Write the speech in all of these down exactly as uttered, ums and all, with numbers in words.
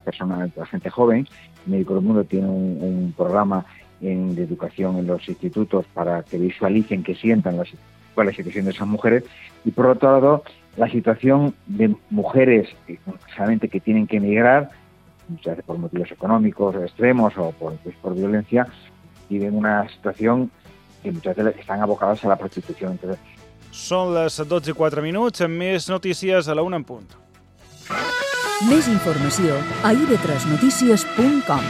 personas, la gente joven. Médicos del Mundo tiene un, un programa en, de educación en los institutos para que visualicen, que sientan las, cuál es la situación de esas mujeres. Y por otro lado, la situación de mujeres solamente que tienen que emigrar, muchas veces por motivos económicos extremos o por, pues, por violencia, viven una situación que muchas veces están abocadas a la prostitución. Entonces, són les dotze i quatre minuts, amb més notícies a la una en punt. Més informació a i ve tres notícies punt com.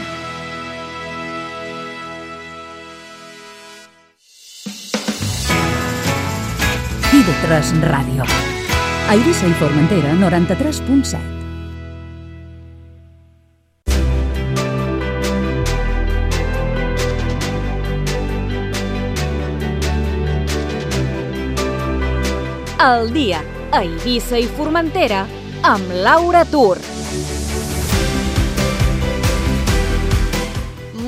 i ve tres Ràdio. A Eivissa i Formentera, noranta-tres punt set. El dia a Eivissa i Formentera amb Laura Tur.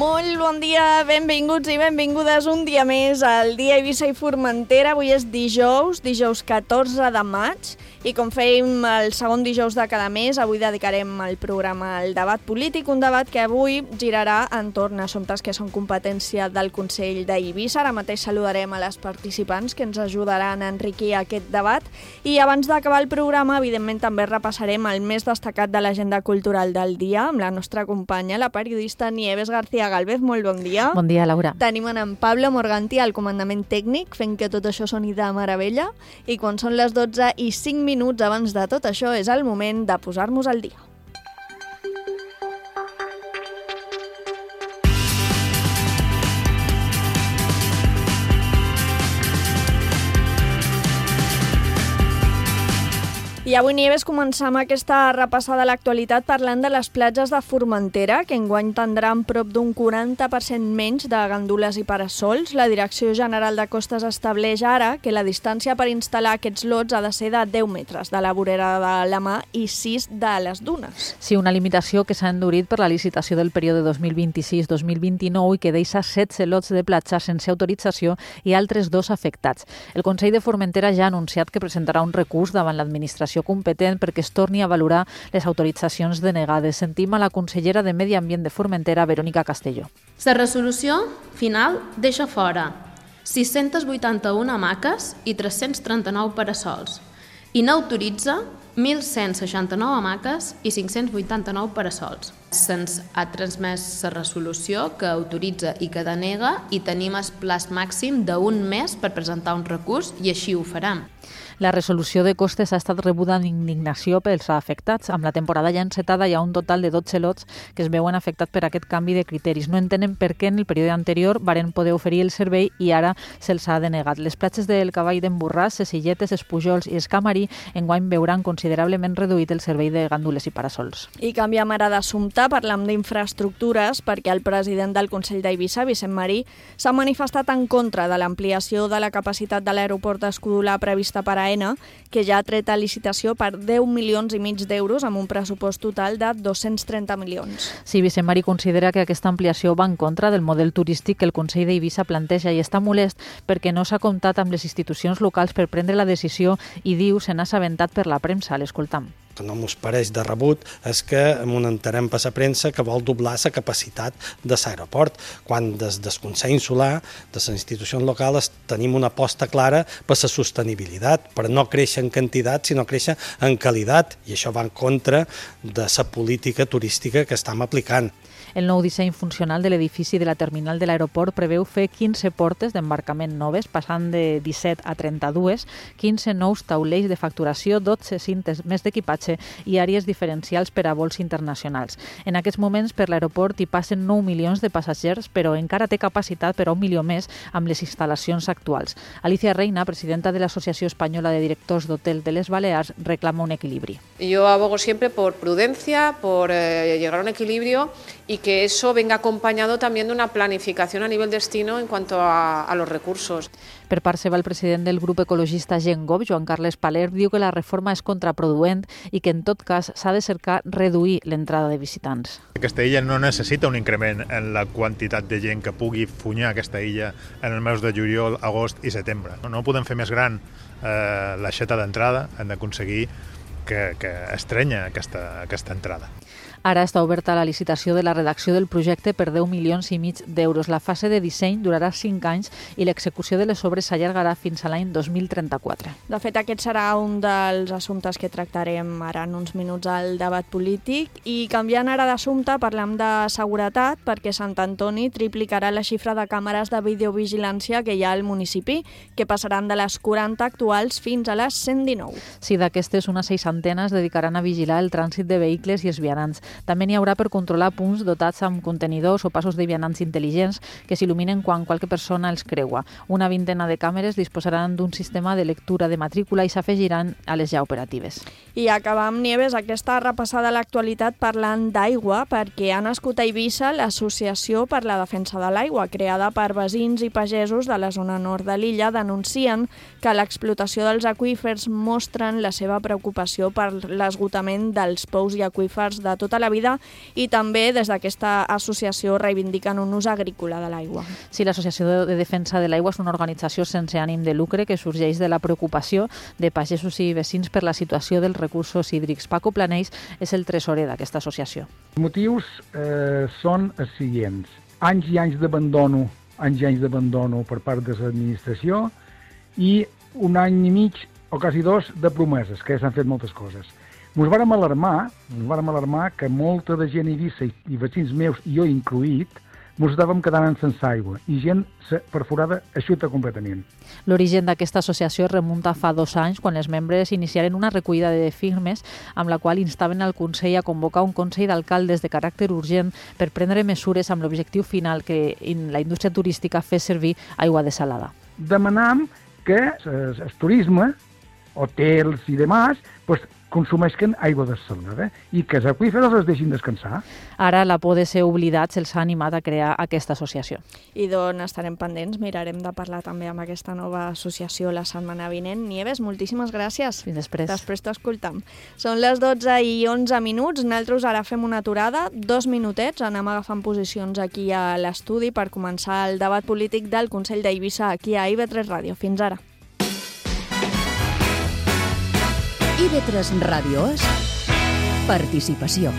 Molt bon dia, benvinguts i benvingudes un dia més al dia Eivissa i Formentera. Avui és dijous, dijous catorze de maig, i com fèiem el segon dijous de cada mes, avui dedicarem el programa al debat polític, un debat que avui girarà entorn a assumptes que són competència del Consell d'Eivissa. Ara mateix saludarem a les participants que ens ajudaran a enriquir aquest debat, i abans d'acabar el programa, evidentment, també repassarem el més destacat de l'agenda cultural del dia amb la nostra companya, la periodista Nieves García Galvez. Molt bon dia. Bon dia, Laura. Tenim en Pablo Morganti al comandament tècnic, fent que tot això soni de meravella, i quan són les dotze i cinc minuts abans de tot això és el moment de posar-nos al dia. I avui, Nieves, començam aquesta repassada a l'actualitat parlant de les platges de Formentera, que enguany tindran prop d'un quaranta per cent menys de gandules i parasols. La Direcció General de Costes estableix ara que la distància per instal·lar aquests lots ha de ser de deu metres de la vorera de la mà i sis de les dunes. Sí, una limitació que s'ha endurit per la licitació del període dos mil vint-i-sis dos mil vint-i-nou i que deixa setze lots de platja sense autorització i altres dos afectats. El Consell de Formentera ja ha anunciat que presentarà un recurs davant l'administració competent perquè es torni a valorar les autoritzacions denegades. Sentim a la consellera de Medi Ambient de Formentera, Verònica Castelló. La resolució final deixa fora sis-centes vuitanta-una hamaques i tres-cents trenta-nou parasols i n'autoritza mil cent seixanta-nou hamaques i cinc-cents vuitanta-nou parasols. Se'ns ha transmès la resolució que autoritza i que denega i tenim el plaç màxim d'un mes per presentar un recurs i així ho farem. La resolució de costes ha estat rebuda amb indignació pels afectats. Amb la temporada ja encetada hi ha un total de dotze lots que es veuen afectats per aquest canvi de criteris. No entenen per què en el període anterior varen poder oferir el servei i ara se'ls ha denegat. Les platges del Cavall d'en Borràs, les Illetes, els Pujols i Escamarí enguany veuran considerablement reduït el servei de gandules i parasols. I canviem ara d'assumpte, parlam d'infraestructures, perquè el president del Consell d'Eivissa, Vicent Marí, s'ha manifestat en contra de l'ampliació de la capacitat de l'aeroport d'Escudolà prevista per a AENA, que ja ha tret a licitació per deu milions i mig d'euros amb un pressupost total de dos-cents trenta milions. Sí, Vicent Marí considera que aquesta ampliació va en contra del model turístic que el Consell d'Eivissa planteja i està molest perquè no s'ha comptat amb les institucions locals per prendre la decisió i diu se n'ha assabentat per la premsa. L'escoltam. Que no mos pareix de rebut és que entenem per la premsa que vol doblar la capacitat de l'aeroport, quan des del Consell Insular, de les institucions locals, tenim una aposta clara per la sostenibilitat, per no créixer en quantitat, sinó créixer en qualitat, i això va en contra de la política turística que estem aplicant. El nou disseny funcional de l'edifici de la terminal de l'aeroport preveu fer quinze portes d'embarcament noves, passant de disset a trenta-dos, quinze nous taulells de facturació, dotze cintes més d'equipatge i àrees diferencials per a vols internacionals. En aquests moments per l'aeroport hi passen nou milions de passatgers, però encara té capacitat per a un milió més amb les instal·lacions actuals. Alicia Reina, presidenta de l'Associació Espanyola de Directors d'Hotel de les Balears, reclama un equilibri. Yo abogo siempre por prudencia, por eh, llegar a un equilibrio y que eso venga acompañado también de una planificación a nivel destino en cuanto a, a los recursos. Per part seva, el president del grup ecologista Gengov, Joan Carles Paler, diu que la reforma és contraproduent i que en tot cas s'ha de cercar reduir l'entrada de visitants. Aquesta illa no necessita un increment en la quantitat de gent que pugui funyar aquesta illa en els mesos de juliol, agost i setembre. No podem fer més gran eh, l'aixeta d'entrada, hem d'aconseguir que, que estrenya aquesta, aquesta entrada. Ara està oberta la licitació de la redacció del projecte per deu milions i mig d'euros. La fase de disseny durarà cinc anys i l'execució de les obres s'allargarà fins a l'any dos mil trenta-quatre. De fet, aquest serà un dels assumptes que tractarem ara en uns minuts al debat polític. I canviant ara d'assumpte, parlem de seguretat, perquè Sant Antoni triplicarà la xifra de càmeres de videovigilància que hi ha al municipi, que passaran de les quaranta actuals fins a les cent dinou. Sí, d'aquestes, unes seixantenes dedicaran a vigilar el trànsit de vehicles i els vianants. També n'hi haurà per controlar punts dotats amb contenidors o passos de vianants intel·ligents que s'il·luminen quan qualque persona els creua. Una vintena de càmeres disposaran d'un sistema de lectura de matrícula i s'afegiran a les ja operatives. I acabar amb Nieves aquesta repassada a l'actualitat parlant d'aigua, perquè ha nascut a Eivissa l'Associació per la Defensa de l'Aigua, creada per veïns i pagesos de la zona nord de l'illa. Denuncien que l'explotació dels aqüífers mostren la seva preocupació per l'esgotament dels pous i aqüífers de tota la vida i també des d'aquesta associació reivindiquen un ús agrícola de l'aigua. Sí, l'Associació de Defensa de l'Aigua és una organització sense ànim de lucre que sorgeix de la preocupació de pagesos i veïns per la situació dels recursos hídrics. Paco Planells és el tresorer d'aquesta associació. Els motius eh, són els següents. Anys i anys d'abandono, anys i anys d'abandono per part de l'administració i un any i mig o quasi dos de promeses, que s'han fet moltes coses. Ens vàrem alarmar, ens vàrem alarmar que molta de gent a Eivissa i, i veïns meus, i jo incluït, ens estàvem quedant sense aigua i gent perforada eixuta completament. L'origen d'aquesta associació remunta fa dos anys quan els membres iniciaren una recollida de firmes amb la qual instaven al Consell a convocar un Consell d'Alcaldes de caràcter urgent per prendre mesures amb l'objectiu final que la indústria turística fes servir aigua desalada. Demanam que el turisme, hotels i demás, pues, consumeixen aigua desalada i que els aqüífers els deixin descansar. Ara la por de ser oblidats els ha animat a crear aquesta associació. I d'on estarem pendents, mirarem de parlar també amb aquesta nova associació la setmana vinent. Nieves, moltíssimes gràcies. Fins després. Després t'escoltam. Són les dotze i onze minuts, nosaltres ara fem una aturada, dos minutets, anem agafant posicions aquí a l'estudi per començar el debat polític del Consell d'Eivissa aquí a I V tres Ràdio. Fins ara. I V tres Ràdio és participació.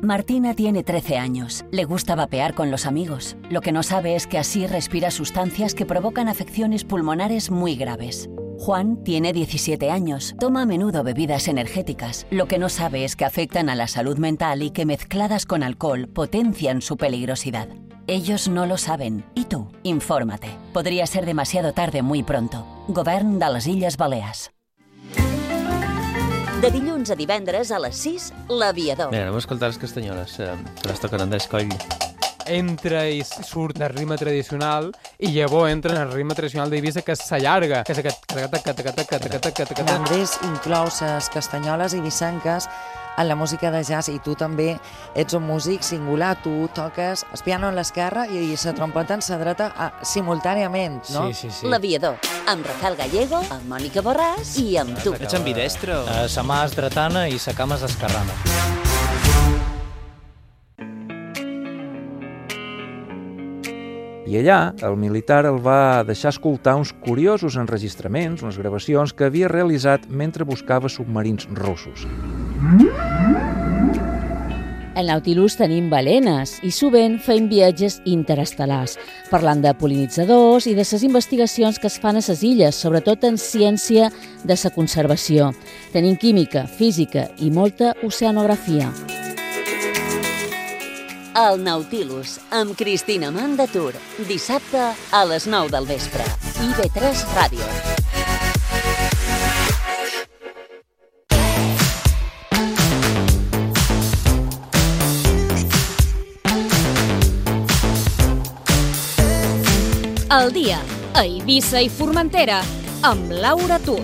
Martina tiene trece años. Le gusta vapear con los amigos. Lo que no sabe es que así respira sustancias que provocan afecciones pulmonares muy graves. Juan tiene diecisiete años. Toma a menudo bebidas energéticas. Lo que no sabe es que afectan a la salud mental y que mezcladas con alcohol potencian su peligrosidad. Ellos no lo saben. ¿Y tú? Infórmate. Podría ser demasiado tarde muy pronto. Govern de les Illes Balears. De dilluns a divendres a les sis, L'Aviador. Mira, anem a escoltar les castanyoles, eh, que les toquen Andrés Coll. Entra i surt del ritme tradicional i llavors entra en el ritme tradicional d'Eivissa que s'allarga, que és aquest... Andrés inclou les castanyoles eivissenques en la música de jazz i tu també ets un músic singular, tu toques el piano en l'esquerra i la trompeta en la dreta simultàniament, no? Sí, sí, sí. L'Aviador, amb Rafael Gallego, amb Mònica Borràs i amb tu. Ets ambidestro. Uh, sa mà és dretana i sa cama és esquerrana. I allà, el militar el va deixar escoltar uns curiosos enregistraments, unes gravacions que havia realitzat mentre buscava submarins russos. Al Nautilus tenim balenes i sovint fem viatges interestel·lars, parlant de pol·linitzadors i de les investigacions que es fan a les illes, sobretot en ciència de la conservació. Tenim química, física i molta oceanografia. El Nautilus, amb Cristina Mandatur, dissabte a les nou del vespre. I V tres Ràdio. El dia a Eivissa i Formentera amb Laura Tur.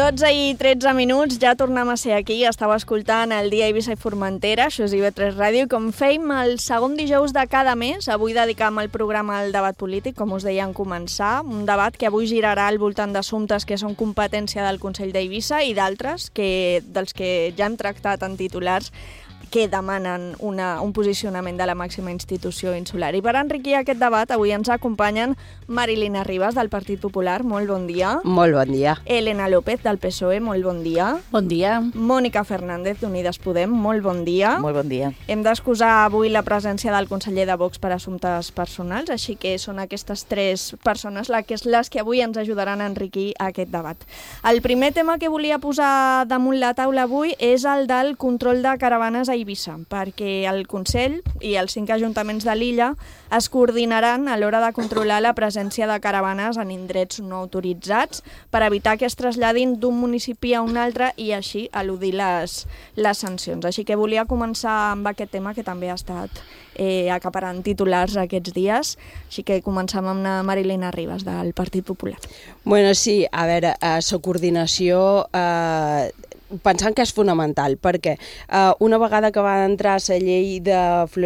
dotze i tretze minuts, ja tornem a ser aquí. Estàu escoltant el Dia Eivissa i Formentera, això és I V tres Ràdio, i com fèiem el segon dijous de cada mes, avui dedicam el programa al debat polític, com us deia en començar, un debat que avui girarà al voltant d'assumptes que són competència del Consell d'Eivissa i d'altres, que dels que ja hem tractat en titulars, que demanen una, un posicionament de la màxima institució insular. I per enriquir aquest debat, avui ens acompanyen Marilina Ribas, del Partit Popular, molt bon dia. Molt bon dia. Elena López, del P S O E, molt bon dia. Bon dia. Mònica Fernández, d'Unides Podem, molt bon dia. Molt bon dia. Hem d'excusar avui la presència del conseller de Vox per assumptes personals, així que són aquestes tres persones les que avui ens ajudaran a enriquir aquest debat. El primer tema que volia posar damunt la taula avui és el del control de caravanes a Eivissa, perquè el Consell i els cinc ajuntaments de l'illa es coordinaran a l'hora de controlar la presència de caravanes en indrets no autoritzats per evitar que es traslladin d'un municipi a un altre i així eludir les, les sancions. Així que volia començar amb aquest tema que també ha estat eh, acaparant titulars aquests dies. Així que començam amb la Marilina Ribas, del Partit Popular. Bueno, sí, a veure, eh, la coordinació... Eh, pensant que és fonamental, perquè eh, una vegada que va entrar la llei de,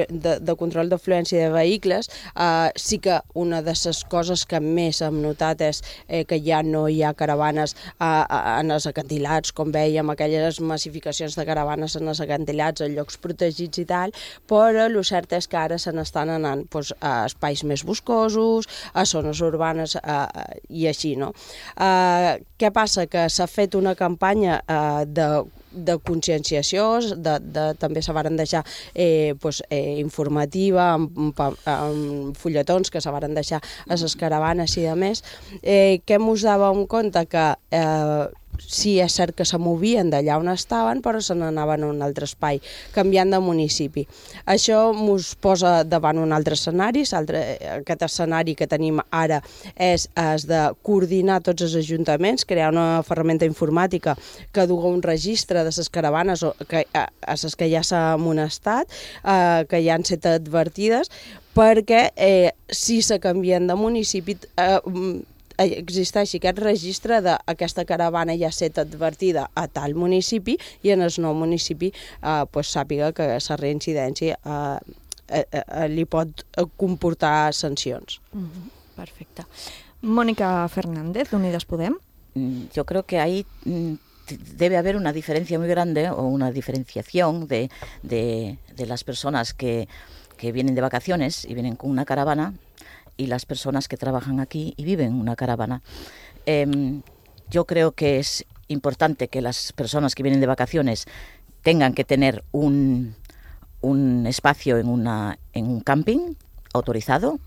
de, de control d'afluència de vehicles, eh, sí que una de les coses que més hem notat és eh, que ja no hi ha caravanes eh, en els acantilats, com vèiem, aquelles massificacions de caravanes en els acantilats, en llocs protegits i tal, però el cert és que ara se n'estan anant doncs, a espais més boscosos, a zones urbanes eh, i així, no? Eh, què passa? Que s'ha fet una campanya eh, de, de conscienciació, de, de, també se varen deixar eh, pues, eh, informativa, amb, amb fulletons que se varen deixar a les caravanes i de més, eh, que mos dàvem compte que eh, sí, és cert que se movien d'allà on estaven, però se n'anaven a un altre espai, canviant de municipi. Això ens posa davant un altre escenari. Aquest escenari que tenim ara és el de coordinar tots els ajuntaments, crear una ferramenta informàtica que duga un registre de les caravanes que, a les que ja s'ha amonestat, eh, que ja han estat advertides, perquè eh, si se canvien de municipi... Eh, existeixi aquest registre d'aquesta caravana ja ha estat advertida a tal municipi i en el nou municipi eh, pues, sàpiga que la reincidència eh, eh, eh, li pot comportar sancions. Mm-hmm. Perfecte. Mónica Fernández, d'Unides Podem. Yo creo que ahí debe haber una diferencia muy grande o una diferenciación de, de, de las personas que, que vienen de vacaciones y vienen con una caravana y las personas que trabajan aquí y viven una caravana. Eh, yo creo que es importante que las personas que vienen de vacaciones tengan que tener un, un espacio en, una, en un camping autorizado,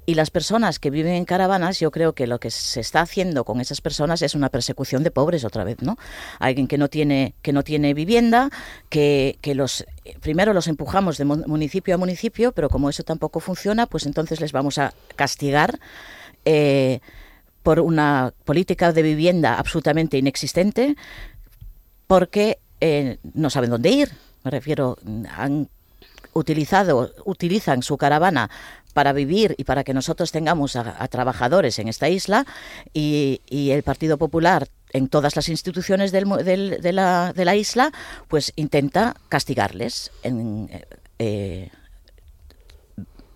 y las personas que viven en caravanas, yo creo que lo que se está haciendo con esas personas es una persecución de pobres otra vez, ¿no? Alguien que no tiene, que no tiene vivienda, que, que los primero los empujamos de municipio a municipio, pero como eso tampoco funciona, pues entonces les vamos a castigar eh, por una política de vivienda absolutamente inexistente, porque eh, no saben dónde ir. Me refiero, han utilizado, utilizan su caravana para vivir y para que nosotros tengamos a, a trabajadores en esta isla, y, y el Partido Popular en todas las instituciones del, del, de, la, de la isla pues intenta castigarles. En, eh,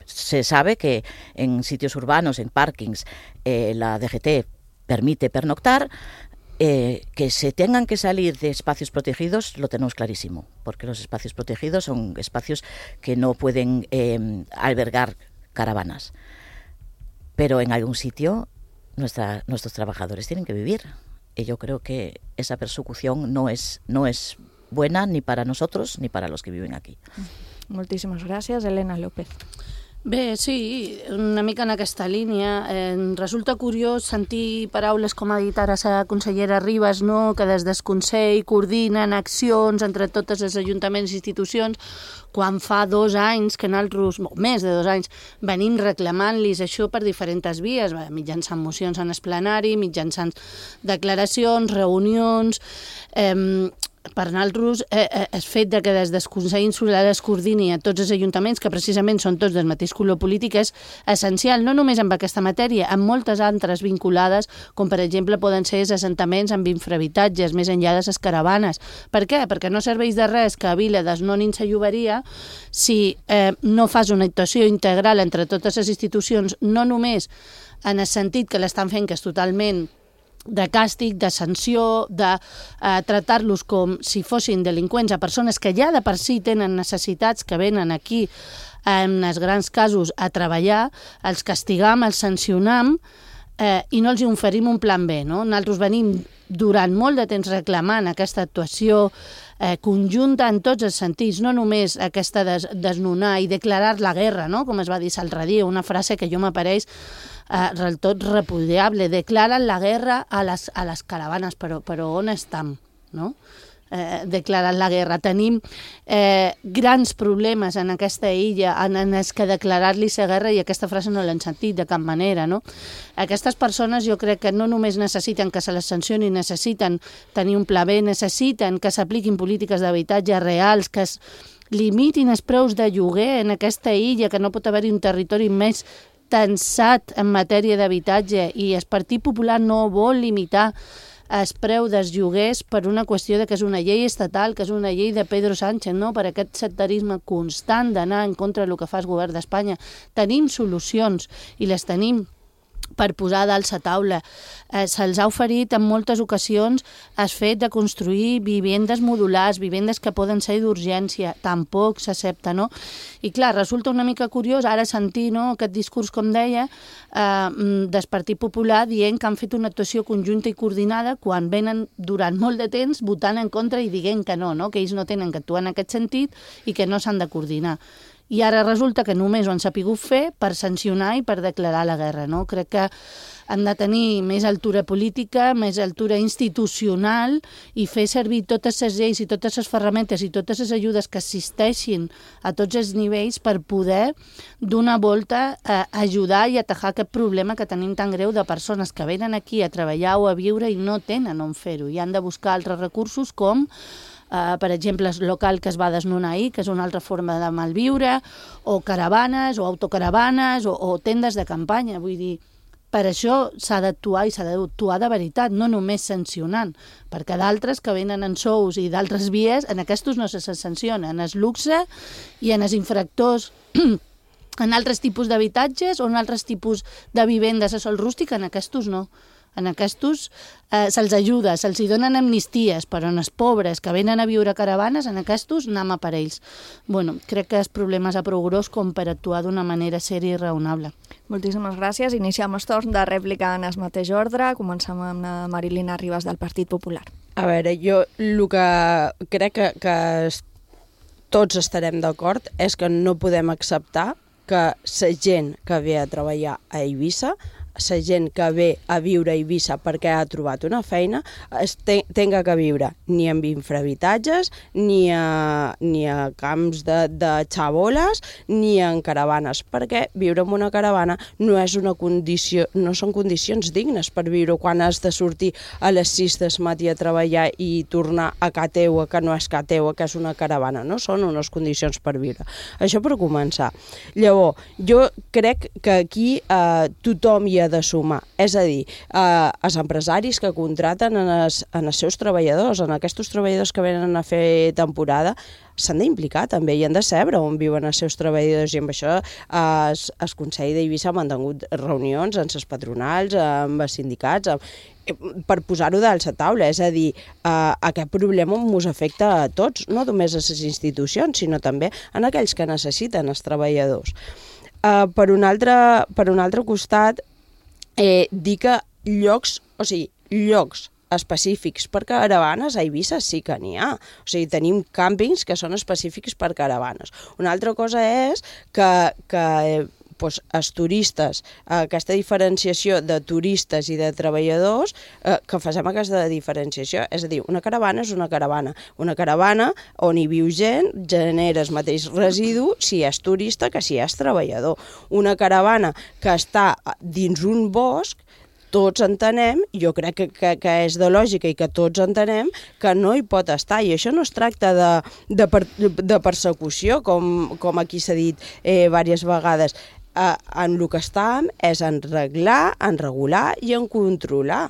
se sabe que en sitios urbanos, en parkings, eh, la D G T permite pernoctar. Eh, que se tengan que salir de espacios protegidos lo tenemos clarísimo, porque los espacios protegidos son espacios que no pueden eh, albergar caravanas, pero en algún sitio nuestra, nuestros trabajadores tienen que vivir, y yo creo que esa persecución no es, no es buena ni para nosotros ni para los que viven aquí. Moltíssimes gràcies, Elena López. Bé, sí, una mica en aquesta línia. Eh, resulta curiós sentir paraules com ha dit ara la consellera Ribas, no? Que des del Consell coordinen accions entre tots els ajuntaments i institucions, quan fa dos anys que nosaltres, o més de dos anys, venim reclamant-los això per diferents vies, mitjançant mocions en esplenari, mitjançant declaracions, reunions... Eh, per nosaltres, eh, eh, el fet de que des del Consell Insular es coordini a tots els ajuntaments, que precisament són tots del mateix color polític, és essencial, no només amb aquesta matèria, amb moltes altres vinculades, com per exemple poden ser els assentaments amb infrahabitatges, més enllà de les caravanes. Per què? Perquè no serveix de res que a Vila desnonin la lloberia si eh, no fas una actuació integral entre totes les institucions, no només en el sentit que l'estan fent, que és totalment de càstig, de sanció, de eh, tractar-los com si fossin delinqüents a persones que ja de per si tenen necessitats, que venen aquí en els grans casos a treballar, els castigam, els sancionam eh, i no els oferim un plan B, no? Nosaltres venim durant molt de temps reclamant aquesta actuació eh, conjunta en tots els sentits, no només aquesta des desnonar i declarar la guerra, no? Com es va dir l'altre dia, una frase que jo m'apareix eh, del tot repudiable, declaren la guerra a les, a les caravanes, però, però on estem, no? Eh, declarant la guerra. Tenim eh, grans problemes en aquesta illa en, en els que declarar-li la guerra, i aquesta frase no l'han sentit de cap manera, no? Aquestes persones jo crec que no només necessiten que se les sancioni, necessiten tenir un pla B, necessiten que s'apliquin polítiques d'habitatge reals, que es limitin els preus de lloguer en aquesta illa, que no pot haver-hi un territori més tensat en matèria d'habitatge, i el Partit Popular no vol limitar el preu dels lloguers per una qüestió de que és una llei estatal, que és una llei de Pedro Sánchez, no? Per aquest sectarisme constant d'anar en contra del que fa el govern d'Espanya. Tenim solucions i les tenim per posar dalt la taula. Eh, Se'ls ha oferit en moltes ocasions el fet de construir vivendes modulars, vivendes que poden ser d'urgència, tampoc s'accepta, no? I clar, resulta una mica curiós ara sentir, no, aquest discurs, com deia, eh, del Partit Popular dient que han fet una actuació conjunta i coordinada quan venen durant molt de temps votant en contra i dient que no, no, que ells no tenen que actuar en aquest sentit i que no s'han de coordinar. I ara resulta que només ho han sapigut fer per sancionar i per declarar la guerra, no? Crec que han de tenir més altura política, més altura institucional i fer servir totes les lleis i totes les ferramentes i totes les ajudes que existeixin a tots els nivells per poder d'una volta eh, ajudar i atajar aquest problema que tenim tan greu de persones que venen aquí a treballar o a viure i no tenen on fer-ho i han de buscar altres recursos com Uh, per exemple, el local que es va desnonar ahir, que és una altra forma de malviure, o caravanes, o autocaravanes, o, o tendes de campanya. Vull dir, per això s'ha d'actuar i s'ha d'actuar de veritat, no només sancionant, perquè d'altres que venen en sous i d'altres vies, en aquests no se sanciona, en el luxe i en els infractors en altres tipus d'habitatges o en altres tipus de vivendes a sol rústic, en aquests no. En aquests eh, se'ls ajuda, se'ls donen amnisties, però en els pobres que venen a viure a caravanes, en aquests anem a per ells. Bueno, crec que el problema és a prou gros com per actuar d'una manera sèria i raonable. Moltíssimes gràcies. Iniciem el torn de rèplica en el mateix ordre. Comencem amb la Marilina Ribas del Partit Popular. A veure, jo el que crec que, que tots estarem d'acord és que no podem acceptar que la gent que ve a treballar a Eivissa, la gent que ve a viure a Eivissa perquè ha trobat una feina, es te tenga que viure ni en infrahabitatges, ni a, ni a camps de, de xaboles, ni en caravanes, perquè viure en una caravana no és una condició, no són condicions dignes per viure quan has de sortir a les sis del matí a treballar i tornar a ca teua, que no és ca teua, que és una caravana, no són unes condicions per viure. Això per començar. Llavors, jo crec que aquí eh, tothom hi ha de sumar, és a dir, eh, els empresaris que contraten en els, en els seus treballadors, en aquests treballadors que venen a fer temporada, s'han d'implicar també i han de saber on viuen els seus treballadors, i amb això eh, el Consell d'Eivissa ha mantingut reunions amb les patronals, amb els sindicats, amb, per posar-ho dalt a la taula, és a dir, eh, aquest problema ens afecta a tots, no només a les institucions, sinó també a aquells que necessiten els treballadors. Eh, per un altre, per un altre costat, Eh, dir que llocs, o sigui, llocs específics per caravanes a Eivissa sí que n'hi ha. O sigui, tenim càmpings que són específics per caravanes. Una altra cosa és que, que doncs, els turistes, aquesta diferenciació de turistes i de treballadors, eh, que facem aquesta diferenciació. És a dir, una caravana és una caravana. Una caravana on hi viu gent genera el mateix residu si és turista que si és treballador. Una caravana que està dins un bosc, tots entenem, jo crec que, que, que és de lògica i que tots entenem que no hi pot estar, i això no es tracta de, de, per, de persecució, com, com aquí s'ha dit eh, diverses vegades. Eh, en el que estàvem és en reglar, en regular i en controlar.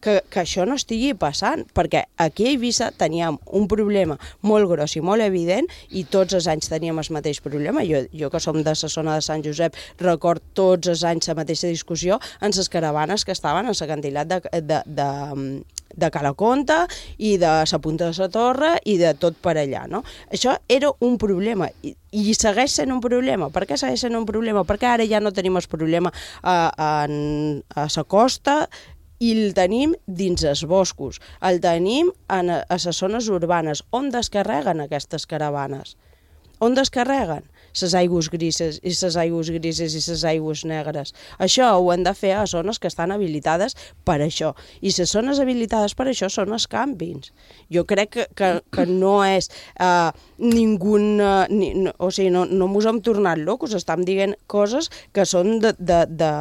Que, que això no estigui passant, perquè aquí a Eivissa teníem un problema molt gros i molt evident i tots els anys teníem el mateix problema. Jo, jo que som de la zona de Sant Josep record tots els anys la mateixa discussió en les caravanes que estaven en l'acantilat de, de, de, de Calaconta i de la Punta de la Torre i de tot per allà, no? Això era un problema i, i segueix sent un problema. Per què segueix sent un problema? Perquè ara ja no tenim el problema a, a, a la costa i el tenim dins els boscos, el tenim en, a les zones urbanes. On descarreguen aquestes caravanes? On descarreguen? Les aigües grises i les aigües grises i les aigües negres. Això ho hem de fer a zones que estan habilitades per això. I les zones habilitades per això són els càmpings. Jo crec que, que, que no és uh, ningú... Uh, ni, no, o sigui, no, no mos hem tornat locos, estem dient coses que són de, de, de,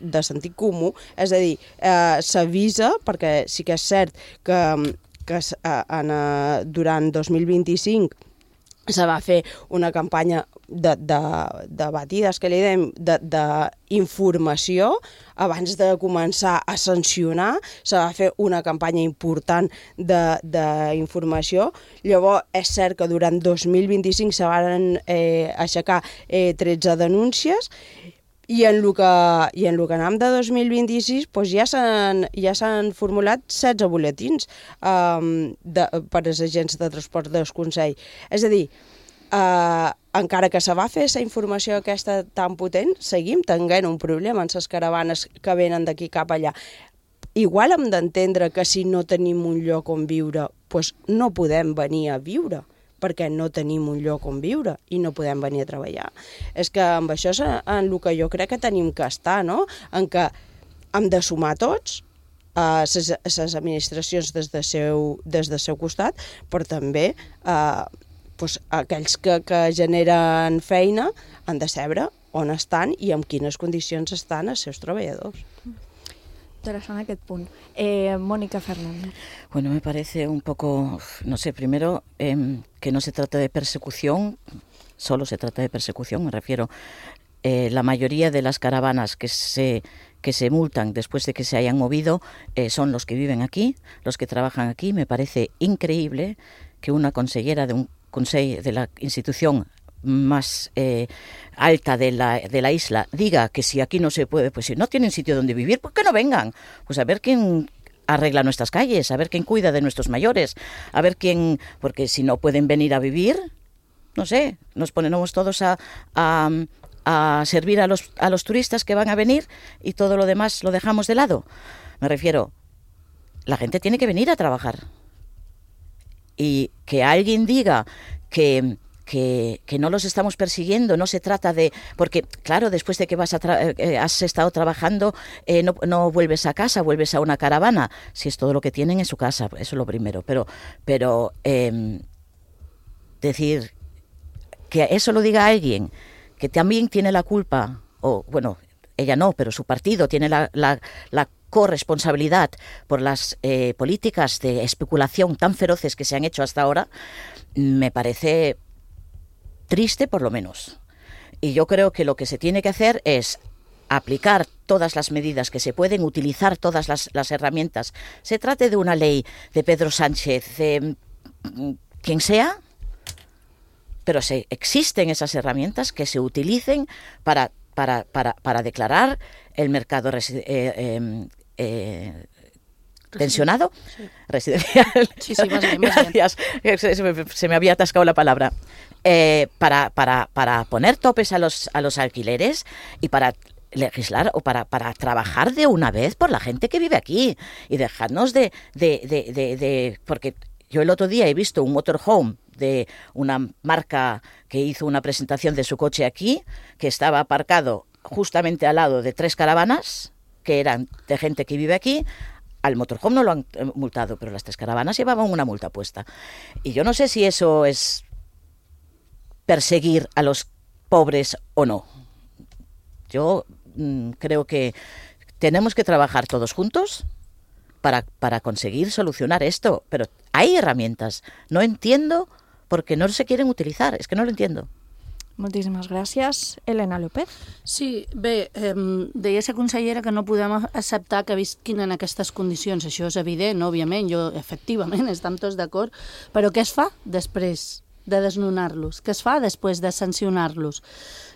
de sentit comú. És a dir, uh, s'avisa, perquè sí que és cert que, que uh, en, uh, durant dos mil vint-i-cinc se va fer una campanya de, de, de batides, que li dèiem, d'informació, abans de començar a sancionar, se va fer una campanya important d'informació. Llavors, és cert que durant dos mil vint-i-cinc se van eh, aixecar eh, tretze denúncies, i en el que, i en el que anem de dos mil vint-i-sis doncs ja s'han ja s'han formulat setze buletins um, de, per als agents de transport del Consell. És a dir, uh, encara que se va fer aquesta informació aquesta tan potent, seguim tenint un problema en les caravanes que venen d'aquí cap allà. Igual hem d'entendre que si no tenim un lloc on viure, doncs no podem venir a viure, perquè no tenim un lloc on viure i no podem venir a treballar. És que amb això és en el que jo crec que tenim que estar, no? En què hem de sumar tots, a les, les administracions des del seu, des del seu costat, però també eh, doncs, aquells que, que generen feina han de saber on estan i en quines condicions estan els seus treballadors. Interesante aquest punt. Eh, Mónica Fernández. Bueno, me parece un poco, no sé, primero eh, que no se trata de persecución, solo se trata de persecución, me refiero, eh, la mayoría de las caravanas que se, que se multan después de que se hayan movido eh, son los que viven aquí, los que trabajan aquí. Me parece increíble que una consellera de un consejo de la institución más eh, alta de la, de la isla diga que si aquí no se puede, pues si no tienen sitio donde vivir, pues que no vengan. Pues a ver quién arregla nuestras calles, a ver quién cuida de nuestros mayores, a ver quién, porque si no pueden venir a vivir, no sé, nos ponemos todos a, a, a servir a los, a los turistas que van a venir y todo lo demás lo dejamos de lado. Me refiero, la gente tiene que venir a trabajar. Y que alguien diga que... Que, que no los estamos persiguiendo, no se trata de... Porque, claro, después de que vas a tra- eh, has estado trabajando, eh, no, no vuelves a casa, vuelves a una caravana. Si es todo lo que tienen en su casa, eso es lo primero. Pero, pero eh, decir que eso lo diga alguien que también tiene la culpa, o bueno, ella no, pero su partido tiene la, la, la corresponsabilidad por las eh, políticas de especulación tan feroces que se han hecho hasta ahora, me parece... triste por lo menos. Y yo creo que lo que se tiene que hacer es aplicar todas las medidas que se pueden, utilizar todas las, las herramientas. Se trate de una ley de Pedro Sánchez, de quien sea, pero se, existen esas herramientas que se utilicen para, para, para, para declarar el mercado resi- eh, eh, eh, tensionado, sí. Residencial. Sí, sí, más bien, más bien. Gracias, se me, se me había atascado la palabra. Eh, para, para, para poner topes a los, a los alquileres y para legislar o para, para trabajar de una vez por la gente que vive aquí y dejarnos de, de, de, de, de... Porque yo el otro día he visto un motorhome de una marca que hizo una presentación de su coche aquí, que estaba aparcado justamente al lado de tres caravanas que eran de gente que vive aquí. Al motorhome no lo han multado, pero las tres caravanas llevaban una multa puesta. Y yo no sé si eso es perseguir a los pobres o no. Yo mmm, creo que tenemos que trabajar todos juntos para, para conseguir solucionar esto, pero hay herramientas. No entiendo por qué no se quieren utilizar, es que no lo entiendo. Moltíssimes gràcies. Elena López. Sí, bé, eh, deia la consellera que no podem acceptar que visquin en aquestes condicions. Això és evident, òbviament, jo, efectivament, estem tots d'acord. Però què es fa després de desnonar-los? Què es fa després de sancionar-los?